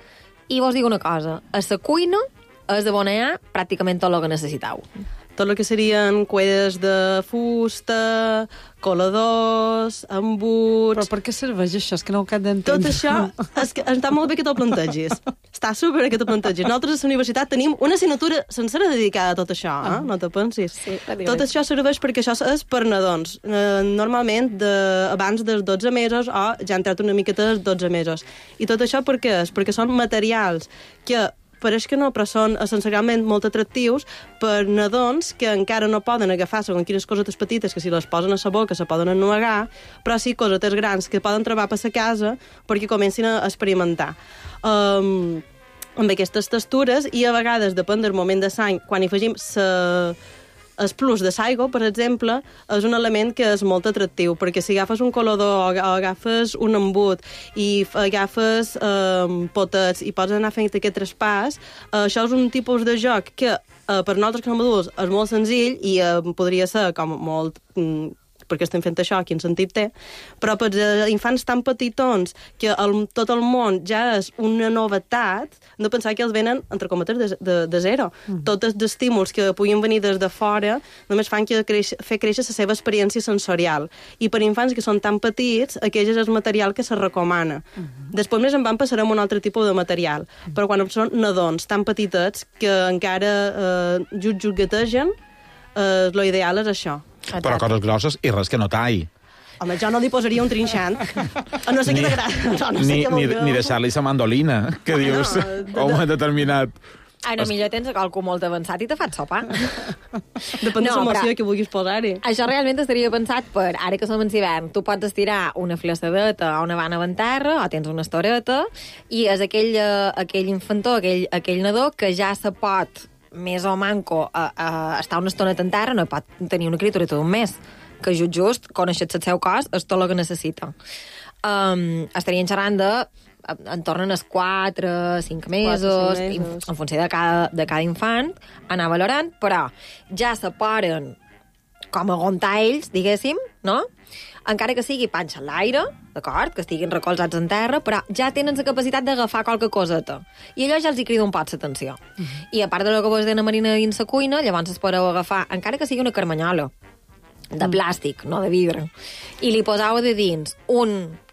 S16: I vos dic una cosa, a la cuina és de bona allà pràcticament tot el que necessiteu.
S17: Tot el que serien cuedes de fusta, coladors, embuts...
S4: Però per què serveix això? És que no ho acabo d'entendre.
S17: Tot això, està molt bé que t'ho plantegis. Està super que t'ho plantegis. Nosaltres a la universitat tenim una assignatura sencera dedicada a tot això, no te pensis.
S16: Sí,
S17: tot això serveix perquè això és per nadons. Normalment abans dels 12 mesos o ja han entrat una miqueta dels 12 mesos. I tot això per què és? Perquè són materials que pareix que no, però són essencialment molt atractius per nadons que encara no poden agafar segons quines cosetes petites que si les posen a la boca se poden ennuegar, però sí cosetes grans que poden trobar per la casa perquè comencin a experimentar. Amb aquestes textures i a vegades, depèn del moment de l'any, quan hi afegim el plus de saigo, per exemple, és un element que és molt atractiu, perquè si agafes un colador o agafes un embut i agafes potets i pots anar fent aquest traspàs, això és un tipus de joc que per nosaltres com a adults és molt senzill i podria ser com molt... perquè estem fent això, quin sentit té, però per infants tan petitons que tot el món ja és una novetat, hem de pensar que els venen, entre cometes, de zero. Tots els estímuls que puguin venir des de fora només fan que fer créixer la seva experiència sensorial. I per infants que són tan petits, aquest és el material que se recomana. Després més en van passar amb un altre tipus de material. Però quan són nadons tan petitets que encara juguetegen, l'ideal és això.
S7: Però coses grosses i res que no tall.
S17: Home, jo no li posaria un trinxant. A no sé què t'agrada.
S7: Ni deixar-li sa mandolina, que dius, o un determinat.
S16: Ara, millor tens el cul molt avançat i te fas sopar.
S17: Depèn de l'emoció que vulguis posar-hi.
S16: Això realment estaria pensat per, ara que som en hivern, tu pots estirar una flaçadeta o una vana en terra, o tens una estoreta, i és aquell infantó, aquell nadó que ja se pot, més o manco, estar una estoneta en terra, no pot tenir una criatura tot un mes, que just, coneixet el seu cos, és tot el que necessita. Estarien xerrant de en tornen els 4-5 mesos, en funció de cada infant, anar valorant, però ja se poden com aguantar ells, diguéssim, no? Encara que sigui panxa a l'aire, d'acord, que estiguin recolzats en terra, però ja tenen la capacitat d'agafar qualque coseta. I allò ja els hi crida un pot l'atenció. I a part de lo que vos deia Marina dins la cuina, llavors es podeu agafar, encara que sigui una carmanyola, de plàstic, no de vidre, i li poseu de dins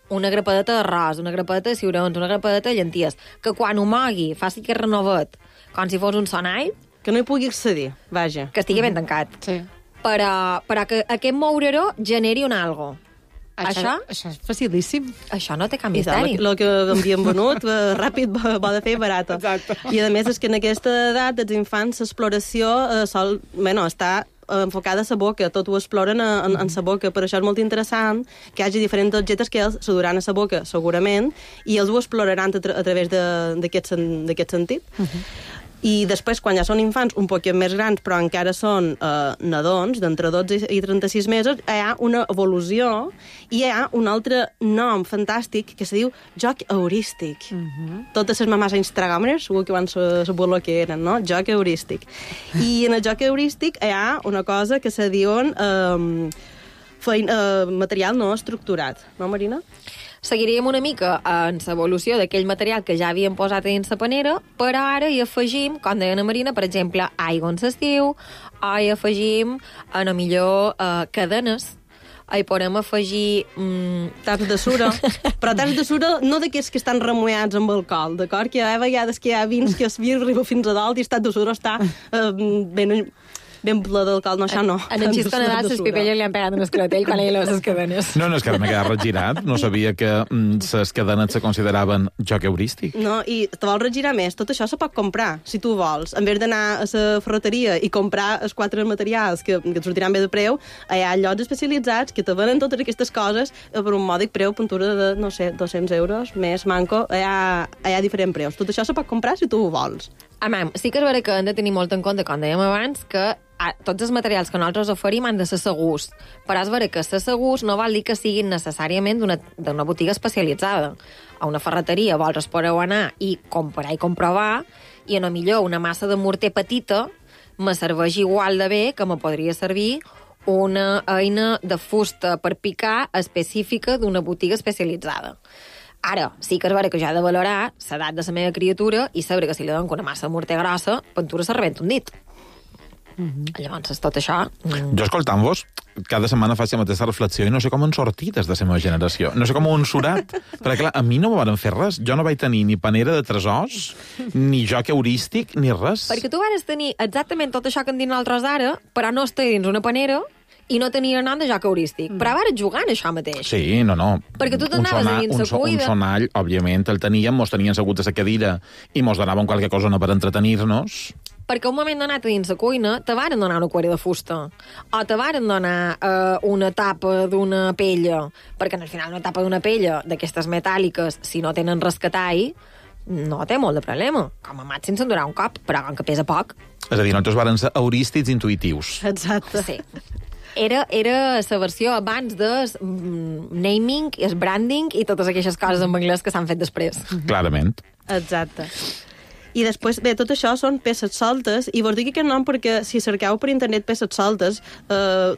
S16: una grapadeta d'arròs, una grapadeta de ciurons, una grapadeta de llenties, que quan ho mogui faci que renovat, com si fos un sonall,
S17: que no hi pugui accedir, vaja.
S16: Que estigui ben tancat.
S4: Sí.
S16: Però que aquest moureró generi un algo.
S4: Això és facilíssim.
S16: Això no té cap misteri.
S17: El que havien venut, ràpid, bo de fer i barat. I a més és que en aquesta edat dels infants l'exploració està enfocada a la boca, tot ho exploren en la boca, per això és molt interessant que hi hagi diferents objectes que ells se duran a la boca, segurament, i ells ho exploraran a través d'aquest sentit. I després, quan ja són infants un poquet més grans, però encara són nadons, d'entre 12 i 36 mesos, hi ha una evolució i hi ha un altre nom fantàstic que se diu joc heurístic. Totes les mamàs instagramers segur que van saber el que eren, no? Joc heurístic. I en el joc heurístic hi ha una cosa que se diuen material no estructurat, no, Marina?
S16: Seguiríem una mica en l'evolució d'aquell material que ja havíem posat dins la panera, però ara hi afegim, com deia Ana Marina, per exemple, aigua en l'estiu, o hi afegim, a lo millor, cadenes, hi podem afegir...
S17: taps de sura, però taps de sura no d'aquests que estan remullats amb alcohol, d'acord? Que hi ha vegades que hi ha vins que es arriba fins a dalt i el tap de sura està ben ple d'alcohol, no, això no.
S16: En el xisco Nadal, les pipelles li han pegat un esclatell quan ell les cadenes.
S7: No, és que ara m'he quedat regirat. No sabia que les cadenes se consideraven joc heurístic.
S17: No, i te vols regirar més. Tot això se pot comprar, si tu vols. En vez d'anar a la ferreteria i comprar els 4 materials que et sortiran bé de preu, hi ha llocs especialitzats que te venen totes aquestes coses per un mòdic preu, pintura de, no sé, 200 euros, més manco. Hi ha diferents preus. Tot això se pot comprar si tu ho vols.
S16: Sí que és vera que hem de tenir molt en compte, com dèiem abans, que tots els materials que nosaltres oferim han de ser segurs. Però és vera que ser segurs no vol dir que siguin necessàriament d'una botiga especialitzada. A una ferreteria vols podeu anar i comprar i comprovar, i a lo millor una massa de morter petita me serveix igual de bé que me podria servir una eina de fusta per picar específica d'una botiga especialitzada. Ara, sí que és vera que jo he de valorar l'edat de la meva criatura i saber que si li dono una massa de morter grossa, pintura se rebenta un dit. Llavors, tot això...
S7: Jo, escoltant-vos, cada setmana faig la mateixa reflexió i no sé com han sortit des de la meva generació. No sé com ho han surat. Perquè, clar, a mi no me van fer res. Jo no vaig tenir ni panera de tresors, ni joc heurístic, ni res.
S16: Perquè tu vas tenir exactament tot això que en diuen nosaltres ara, però no estar dins una panera i no tenia nom de joc heurístic. Però ara jugant això mateix.
S7: Sí, no.
S16: Perquè tu t'anaves a dins la cuida...
S7: Un sonall, òbviament, el teníem, mos tenien asseguts a la cadira i mos donaven qualque cosa per entretenir-nos.
S16: Perquè un moment donat a dins la cuina te varen donar una cuera de fusta o te varen donar una tapa d'una pella, perquè al final una tapa d'una pella d'aquestes metàl·liques, si no tenen rescatall, no té molt de problema. Com a màxim se'n durarà un cop, però com que pesa poc.
S7: És a dir, nosaltres varen ser heurístics intuitius.
S17: Exacte.
S16: Sí. Era la versió abans de naming, el branding i totes aquestes coses en anglès que s'han fet després.
S7: Clarament.
S17: Exacte. I després, bé, tot això són peces soltes, i vos dic aquest nom perquè si cerqueu per internet peces soltes,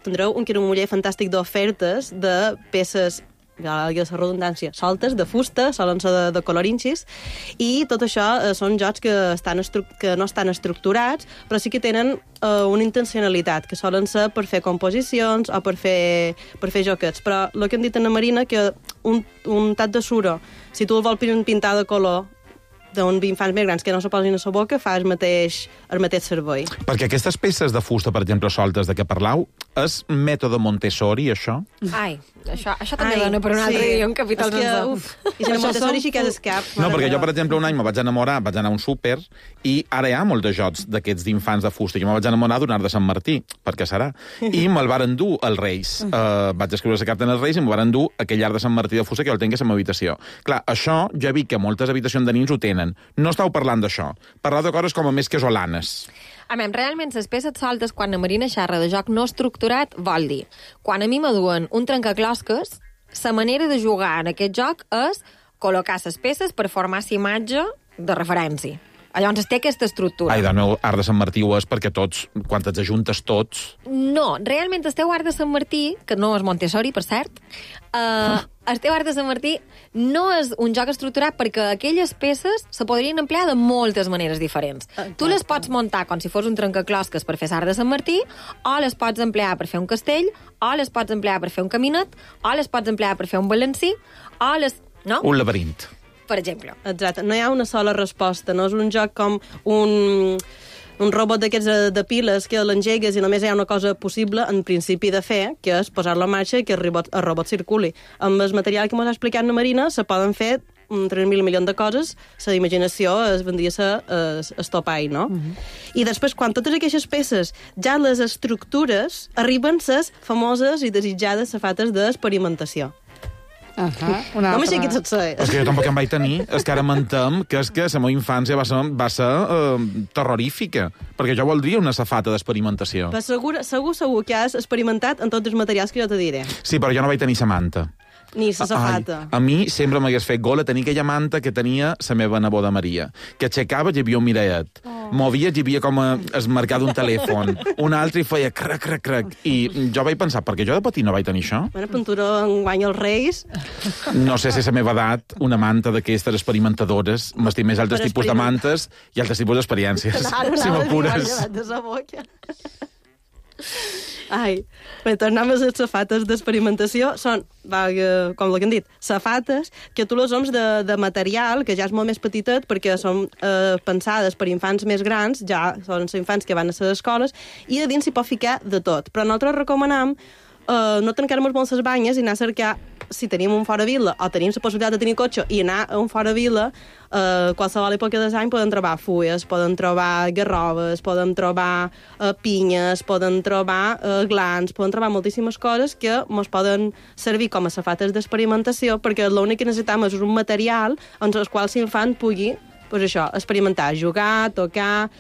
S17: tindreu un quirumuller fantàstic d'ofertes de peces, ja la redundància, soltes, de fusta, solen ser de colorinxis, i tot això són jocs que no estan estructurats, però sí que tenen una intencionalitat, que solen ser per fer composicions o per fer joquets. Però el que hem dit a la Marina, que un tap de suro, si tu el vols pintar de color, infants més grans que no se posin a la boca fa el mateix servei.
S7: Perquè aquestes peces de fusta, per exemple, soltes de què parlau, és mètode Montessori, això?
S16: Ai, això també dona per un altre dia un capítol sencer.
S17: I si no Montessori sí que és escap.
S7: No, perquè jo, per exemple, un any me vaig enamorar, vaig anar a un súper, i ara hi ha molts de jocs d'aquests d'infants de fusta. Jo me vaig enamorar d'un art de Sant Martí, perquè serà. I me'l varen dur als Reis. Vaig escriure la carta als Reis i me'l varen dur aquell art de Sant Martí de fusta que jo el tinc a la meva habitació. Clar, això ja vi que moltes habitacions de nins ho tenen. No estàu parlant d'això. Parlar de coses com a més casolanes.
S16: Realment, les peces soltes, quan la Marina xerra de joc no estructurat, vol dir, quan a mi m'aduen un trencaclosques, la manera de jugar en aquest joc és col·locar les peces per formar la imatge de referència. Llavors té aquesta estructura.
S7: Ai, del meu art de Sant Martí ho és perquè tots, quan t'ets ajuntes tots...
S16: No, realment el teu art de Sant Martí, que no és Montessori, per cert, el teu art de Sant Martí no és un joc estructurat perquè aquelles peces se podrien emplear de moltes maneres diferents. Tu les pots muntar com si fos un trencaclosques per fer l'art de Sant Martí, o les pots emplear per fer un castell, o les pots emplear per fer un caminet, o les pots emplear per fer un balancí, o les... No?
S7: Un laberint.
S16: Per exemple.
S17: Exacte. No hi ha una sola resposta. No és un joc com un robot d'aquests de piles que l'engegues i només hi ha una cosa possible en principi de fer, que és posar-lo en marxa i que el robot circuli. Amb el material que m'ha explicat la Marina se poden fer 3.000 milions de coses, la imaginació es vendria a estopai, no? I després, quan totes aquestes peces, ja les estructures, arriben les famoses i desitjades safates d'experimentació. No m'aixequis el ser.
S7: És que jo tampoc em vaig tenir. És que ara mentem que és que la meva infància va ser terrorífica. Perquè jo voldria una safata d'experimentació.
S17: Però segur que has experimentat en tots els materials que jo te diré.
S7: Sí, però jo no vaig tenir la manta.
S17: Ni la safata.
S7: A mi sempre m'hagués fet gola tenir aquella manta que tenia la meva neboda Maria, que aixecava i hi havia un mirallet. Movies i hi havia com es marcar d'un telèfon. Un altre i feia crac, crac, crac. I jo vaig pensar, perquè jo de petit no vaig tenir això?
S17: Bueno, pintura enguany els Reis.
S7: No sé si a la meva edat una manta d'aquestes experimentadores m'estim més altres tipus de mantes i altres tipus d'experiències. Si m'apures.
S17: Ai, bé, tornem a les safates d'experimentació. Són, com el que hem dit, safates que tu les oms de material, que ja és molt més petitet, perquè són pensades per infants més grans, ja són infants que van a les escoles, i a dins s'hi pot ficar de tot. Però nosaltres recomanam no tancar-nos molt les banyes i anar a cercar, si tenim un fora vila o tenim la possibilitat de tenir cotxe i anar a un fora vila, qualsevol època de l'any poden trobar fulles, poden trobar garroves, poden trobar pinyes, poden trobar glans, poden trobar moltíssimes coses que ens poden servir com a safates d'experimentació, perquè l'únic que necessitem és un material en el qual l'infant pugui experimentar, jugar, tocar,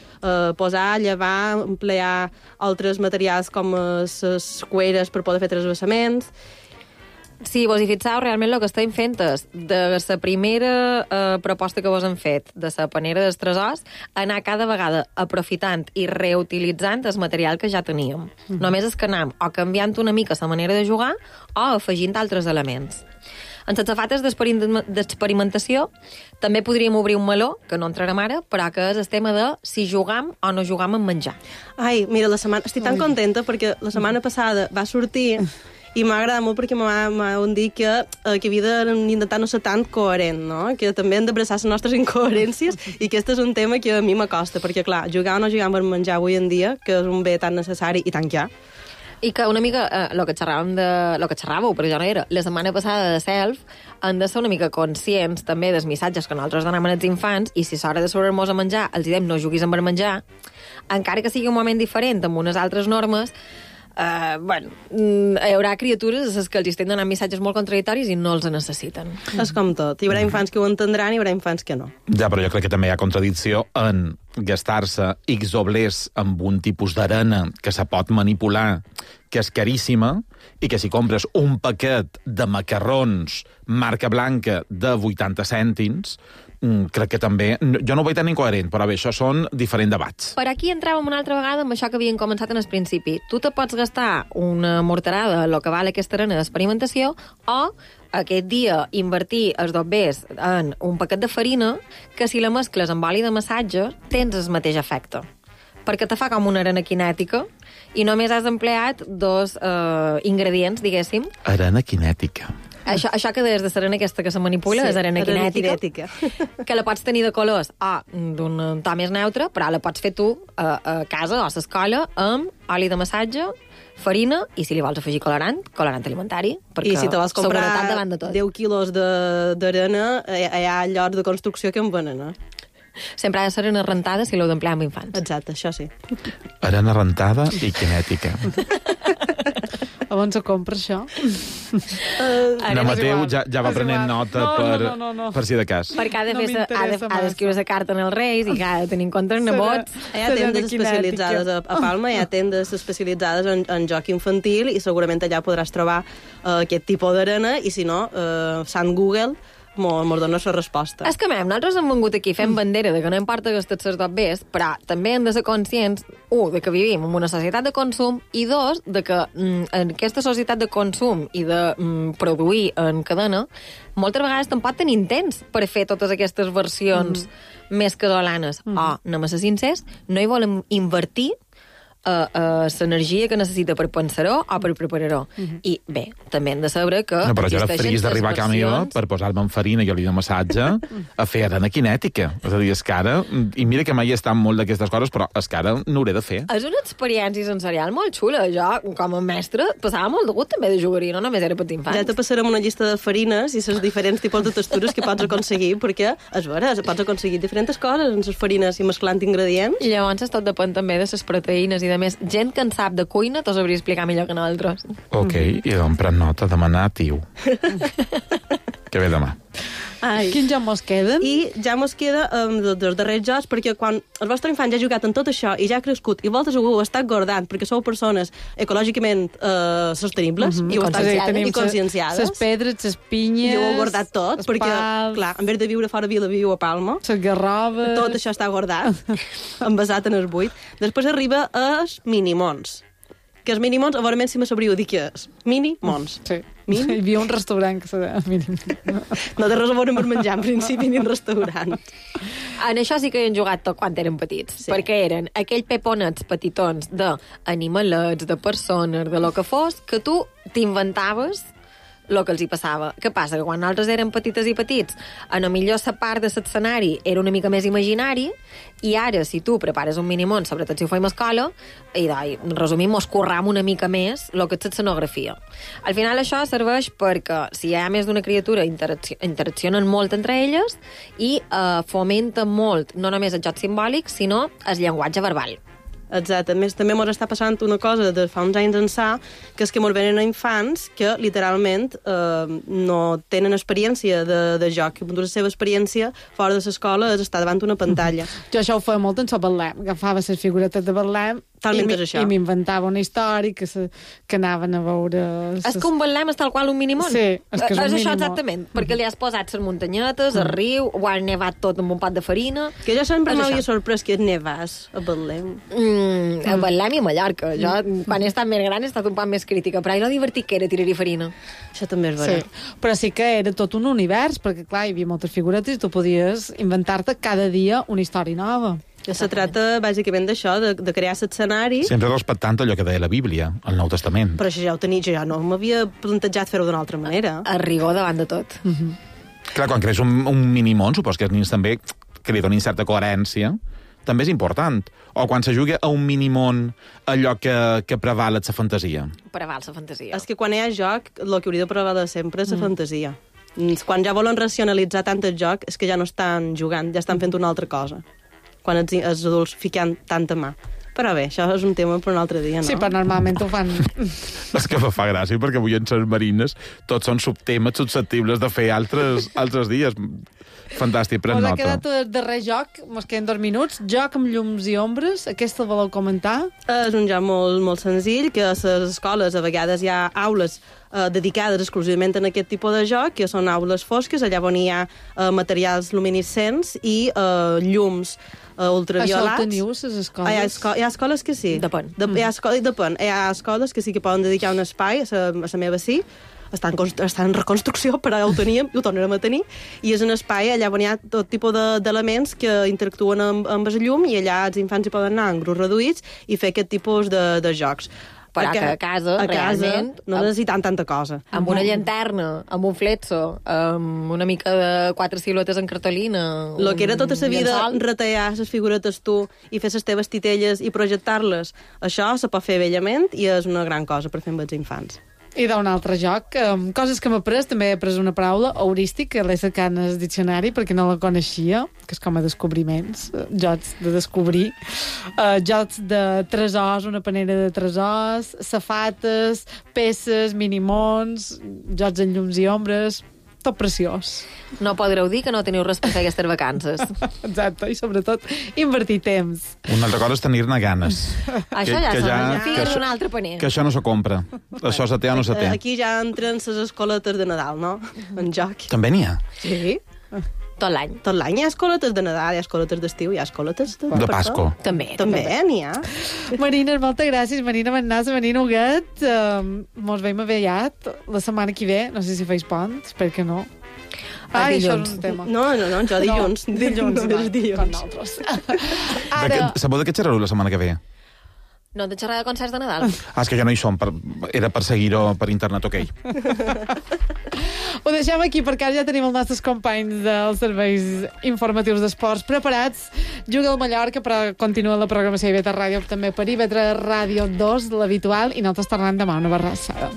S17: posar, llevar, emplear altres materials com les cueres per poder fer transvasaments.
S16: Sí, vos hi fixeu, realment el que estem fent és, de la primera proposta que vos hem fet, de la panera dels tresors, anar cada vegada aprofitant i reutilitzant el material que ja teníem. Només és que anem o canviant una mica la manera de jugar o afegint altres elements. En les safates d'experimentació també podríem obrir un meló, que no entrarem ara, però que és el tema de si jugam o no jugam en menjar.
S17: Ai, mira, estic tan contenta perquè la setmana passada va sortir i m'ha agradat molt perquè m'han dit que havia d'intentar no ser tan coherent, no? Que també hem d'abraçar les nostres incoherències i que aquest és un tema que a mi m'acosta, perquè clar, jugar o no jugar per menjar avui en dia, que és un bé tan necessari i tan ja.
S16: I que una mica, el que xerràveu, però jo no era, la setmana passada de Self, han de ser una mica conscients també dels missatges que nosaltres donem als infants, i si és hora de sobre'ns a menjar, els diem no juguis amb el menjar, encara que sigui un moment diferent, amb unes altres normes, hi haurà criatures a les que els estem donant missatges molt contradictoris i no els necessiten.
S17: És com tot. Hi haurà infants que ho entendran i hi haurà infants que no.
S7: Ja, però jo crec que també hi ha contradicció en gastar-se X doblers amb un tipus d'arena que se pot manipular, que és caríssima, i que si compres un paquet de macarrons marca blanca de 80 cèntims, crec que també... Jo no ho veig tan incoherent, però bé, això són diferents debats.
S16: Per aquí entràvem una altra vegada amb això que havíem començat en el principi. Tu te pots gastar una morterada, el que val aquesta arena d'experimentació, o aquest dia invertir els doblers en un paquet de farina que si la mescles amb oli de massatge tens el mateix efecte. Perquè te fa com una arena kinètica i només has empleat dos ingredients, diguéssim.
S7: Arena kinètica.
S16: Això que deies de l'arena aquesta que se manipula, és arena kinètica, que la pots tenir de colors d'un to més neutre, però la pots fer tu a casa o a l'escola amb oli de massatge, farina i, si li vols afegir colorant alimentari, perquè
S17: I si te vols comprar
S16: seguretat davant de tot.
S17: 10 quilos d'arena, hi ha llocs de construcció que en venen,
S16: Sempre ha de ser arena rentada si l'heu d'emplear amb infants.
S17: Exacte, això sí.
S7: Arena rentada i kinètica.
S4: On se compra això?
S7: No, Mateu ja va prenent nota per si de cas.
S16: Perquè ha d'escriure la carta als Reis i que ha de tenir en compte els nebots.
S17: Hi ha tendes especialitzades a Palma, hi ha tendes especialitzades en joc infantil i segurament allà podràs trobar aquest tipus d'arena i si no, Sant Google mos dona la resposta.
S16: És que, nosaltres hem vengut aquí fent bandera de que no importa gastar els dos bés, però també hem de ser conscients, de que vivim en una societat de consum, i dos, de que en aquesta societat de consum i de produir en cadena, moltes vegades tampoc tenim temps per fer totes aquestes versions més casolanes. Anem a ser sincers, no hi volem invertir l'energia que necessita per pensar-ho o per preparar-ho. I bé, també hem de saber que
S7: no, però jo era feliç d'arribar a casa meva per posar-me en farina i oli de massatge a fer arena kinètica. És a dir, és que ara, i mira que mai he estat molt d'aquestes coses, però és que ara n'hauré de fer.
S16: És una experiència sensorial molt xula. Jo, com a mestre, passava molt de gust també de jugar-hi, no només era per infants.
S17: Ja te passarem una llista de farines i les diferents tipus de textures que pots aconseguir, perquè, és vera, pots aconseguir diferents coses en les farines i mesclant ingredients.
S16: I llavors tot depèn també de les proteïnes i de més. Gent que en sap de cuina t'ho sabria explicar millor que nosaltres.
S7: Ok, i doncs pren nota, demanar tiu. Que ve demà.
S4: Quins ja mos queden?
S17: I ja mos queda dels darrers jocs, perquè quan el vostre infant ja ha jugat en tot això i ja ha crescut i vosaltres ho estàs guardant perquè sou persones ecològicament sostenibles i conscienciades.
S4: Les pedres, les pinyes...
S17: I ho heu guardat tot, perquè, clar, en vez de viure fora Vila, viu a Palma.
S4: Les garroves...
S17: Tot això està guardat, envasat en el buit. Després arriba els minimons. Que els minimons, a veure si me sabríeu dir què és. Minimons.
S4: Sí. Hi havia un restaurant que se deia Minimons.
S17: No té res a veure amb menjar, en principi, ni en restaurant.
S16: En això sí que hi han jugat tot quan eren petits, perquè eren aquells peponets petitons d'animalets, de persones, de lo que fos, que tu t'inventaves el que els hi passava. Què passa? Que quan nosaltres érem petites i petits, a lo millor la part de l'escenari era una mica més imaginari, i ara, si tu prepares un minimón, sobretot si ho fem a escola, i resumim, mos curram una mica més el que és l'escenografia. Al final això serveix perquè si hi ha més d'una criatura interaccionen molt entre elles i fomenten molt, no només el joc simbòlic, sinó el llenguatge verbal.
S17: Exacte. A més, també ens està passant una cosa de fa uns anys ençà, que és que ens venen a infants que, literalment, no tenen experiència de joc. La seva experiència fora de l'escola és estar davant una pantalla.
S4: Jo això ho feia molt en Betlem. Agafava les figuretes de Betlem i m'inventava una història que anaven a veure...
S16: És que un Betlem és tal qual un minimón.
S4: Sí, és que és un minimón.
S16: És això exactament, perquè li has posat les muntanyetes, el riu, ho has nevat tot amb un pot de farina...
S17: Que jo sempre m'havia sorprès que nevàs a Betlem.
S16: A Betlem i a Mallorca. Jo, quan he estat més gran, he estat un poc més crítica, però lo divertit que era tirar-hi farina.
S17: Això també és vera.
S4: Sí, però sí que era tot un univers, perquè, clar, hi havia moltes figuretes i tu podies inventar-te cada dia una història nova.
S17: Que se trata, bàsicament, d'això, de crear l'escenari...
S7: Sempre respectant allò que deia la Bíblia, el Nou Testament.
S17: Però això ja ho tenia, jo no m'havia plantejat fer-ho d'una altra manera.
S16: A rigor davant de tot.
S7: Clar, quan crees un minimón, supos que els nens també que li donin certa coherència, també és important. O quan se juga a un minimón allò que preval la fantasia.
S16: Preval la fantasia.
S17: És que quan hi ha joc, el que hauria de prevaler sempre és la fantasia. Quan ja volen racionalitzar tant el joc, és que ja no estan jugant, ja estan fent una altra cosa. Quan els adults fiquen tanta mà. Però bé, això és un tema per un altre dia, no?
S4: Sí, però normalment ho fan...
S7: És que me fa gràcia, perquè avui en les marines tots són subtemes susceptibles de fer altres dies. Fantàstic, pren nota.
S4: Us ha quedat el darrer joc, mos queden 2 minuts. Joc amb llums i ombres, aquest el voleu comentar?
S17: És un joc molt, molt senzill, que a les escoles a vegades hi ha aules dedicades exclusivament a aquest tipus de joc, que són aules fosques, allà on hi ha materials luminescents i llums ultraviolats.
S4: Això ho teniu, les escoles?
S17: Hi ha escoles que sí.
S16: Depèn.
S17: Hi ha escoles que sí que poden dedicar un espai, a la meva sí, està en reconstrucció, però ja ho teníem i ho tornarem a tenir, i és un espai allà on hi ha tot tipus d'elements que interactuen amb el llum i allà els infants hi poden anar en grups reduïts i fer aquest tipus de jocs.
S16: Però que a casa, realment...
S17: no necessitant tanta cosa.
S16: Amb una llanterna, amb un fletxo, amb una mica de 4 siluetes en cartolina...
S17: Lo que era tota la vida retallar les figuretes tu i fer les teves titelles i projectar-les, això se pot fer bellament i és una gran cosa per fer amb els infants.
S4: I d'un altre joc, coses que m'he après, també he après una paraula, heurístic, que l'he cercat en el diccionari perquè no la coneixia, que és com a descobriments, jocs de descobrir, jocs de tresors, una panera de tresors, safates, peces, minimons, jocs en llums i ombres, tot preciós.
S16: No podreu dir que no teniu res per fer aquestes vacances.
S4: Exacte, i sobretot invertir temps.
S7: Una altra cosa és tenir-ne ganes.
S16: Això ja s'ha figa d'un altre paner.
S7: Que això no se compra. Això se té o no se té.
S17: Aquí ja entren les escoletes de Nadal, no? En joc.
S7: També n'hi ha?
S17: Sí.
S16: Tot l'any.
S17: Tot l'any hi ha escoletes de Nadal, hi ha escoletes d'estiu, hi ha escoletes
S7: de Pasco.
S16: També
S17: n'hi ha.
S4: Marina, moltes gràcies. Marina Manassa, Marina Huguet. Mos veiem aviat la setmana que ve. No sé si feis pont, espero que no. Això és un tema.
S17: No, jo dilluns.
S4: Dilluns,
S17: no, dilluns.
S4: Com nosaltres. Ara...
S7: Sabeu de què xerrareu la setmana que ve?
S16: No de xerrar de concerts de Nadal.
S7: És que ja no hi som, era per seguir-ho per internet, ok.
S4: Ho deixem aquí perquè ja tenim els nostres companys dels serveis informatius d'esports preparats. Juga el Mallorca, però continua la programació d'IV3 Ràdio també per IV3 Ràdio 2, l'habitual, i nosaltres tornem demà una barrassada.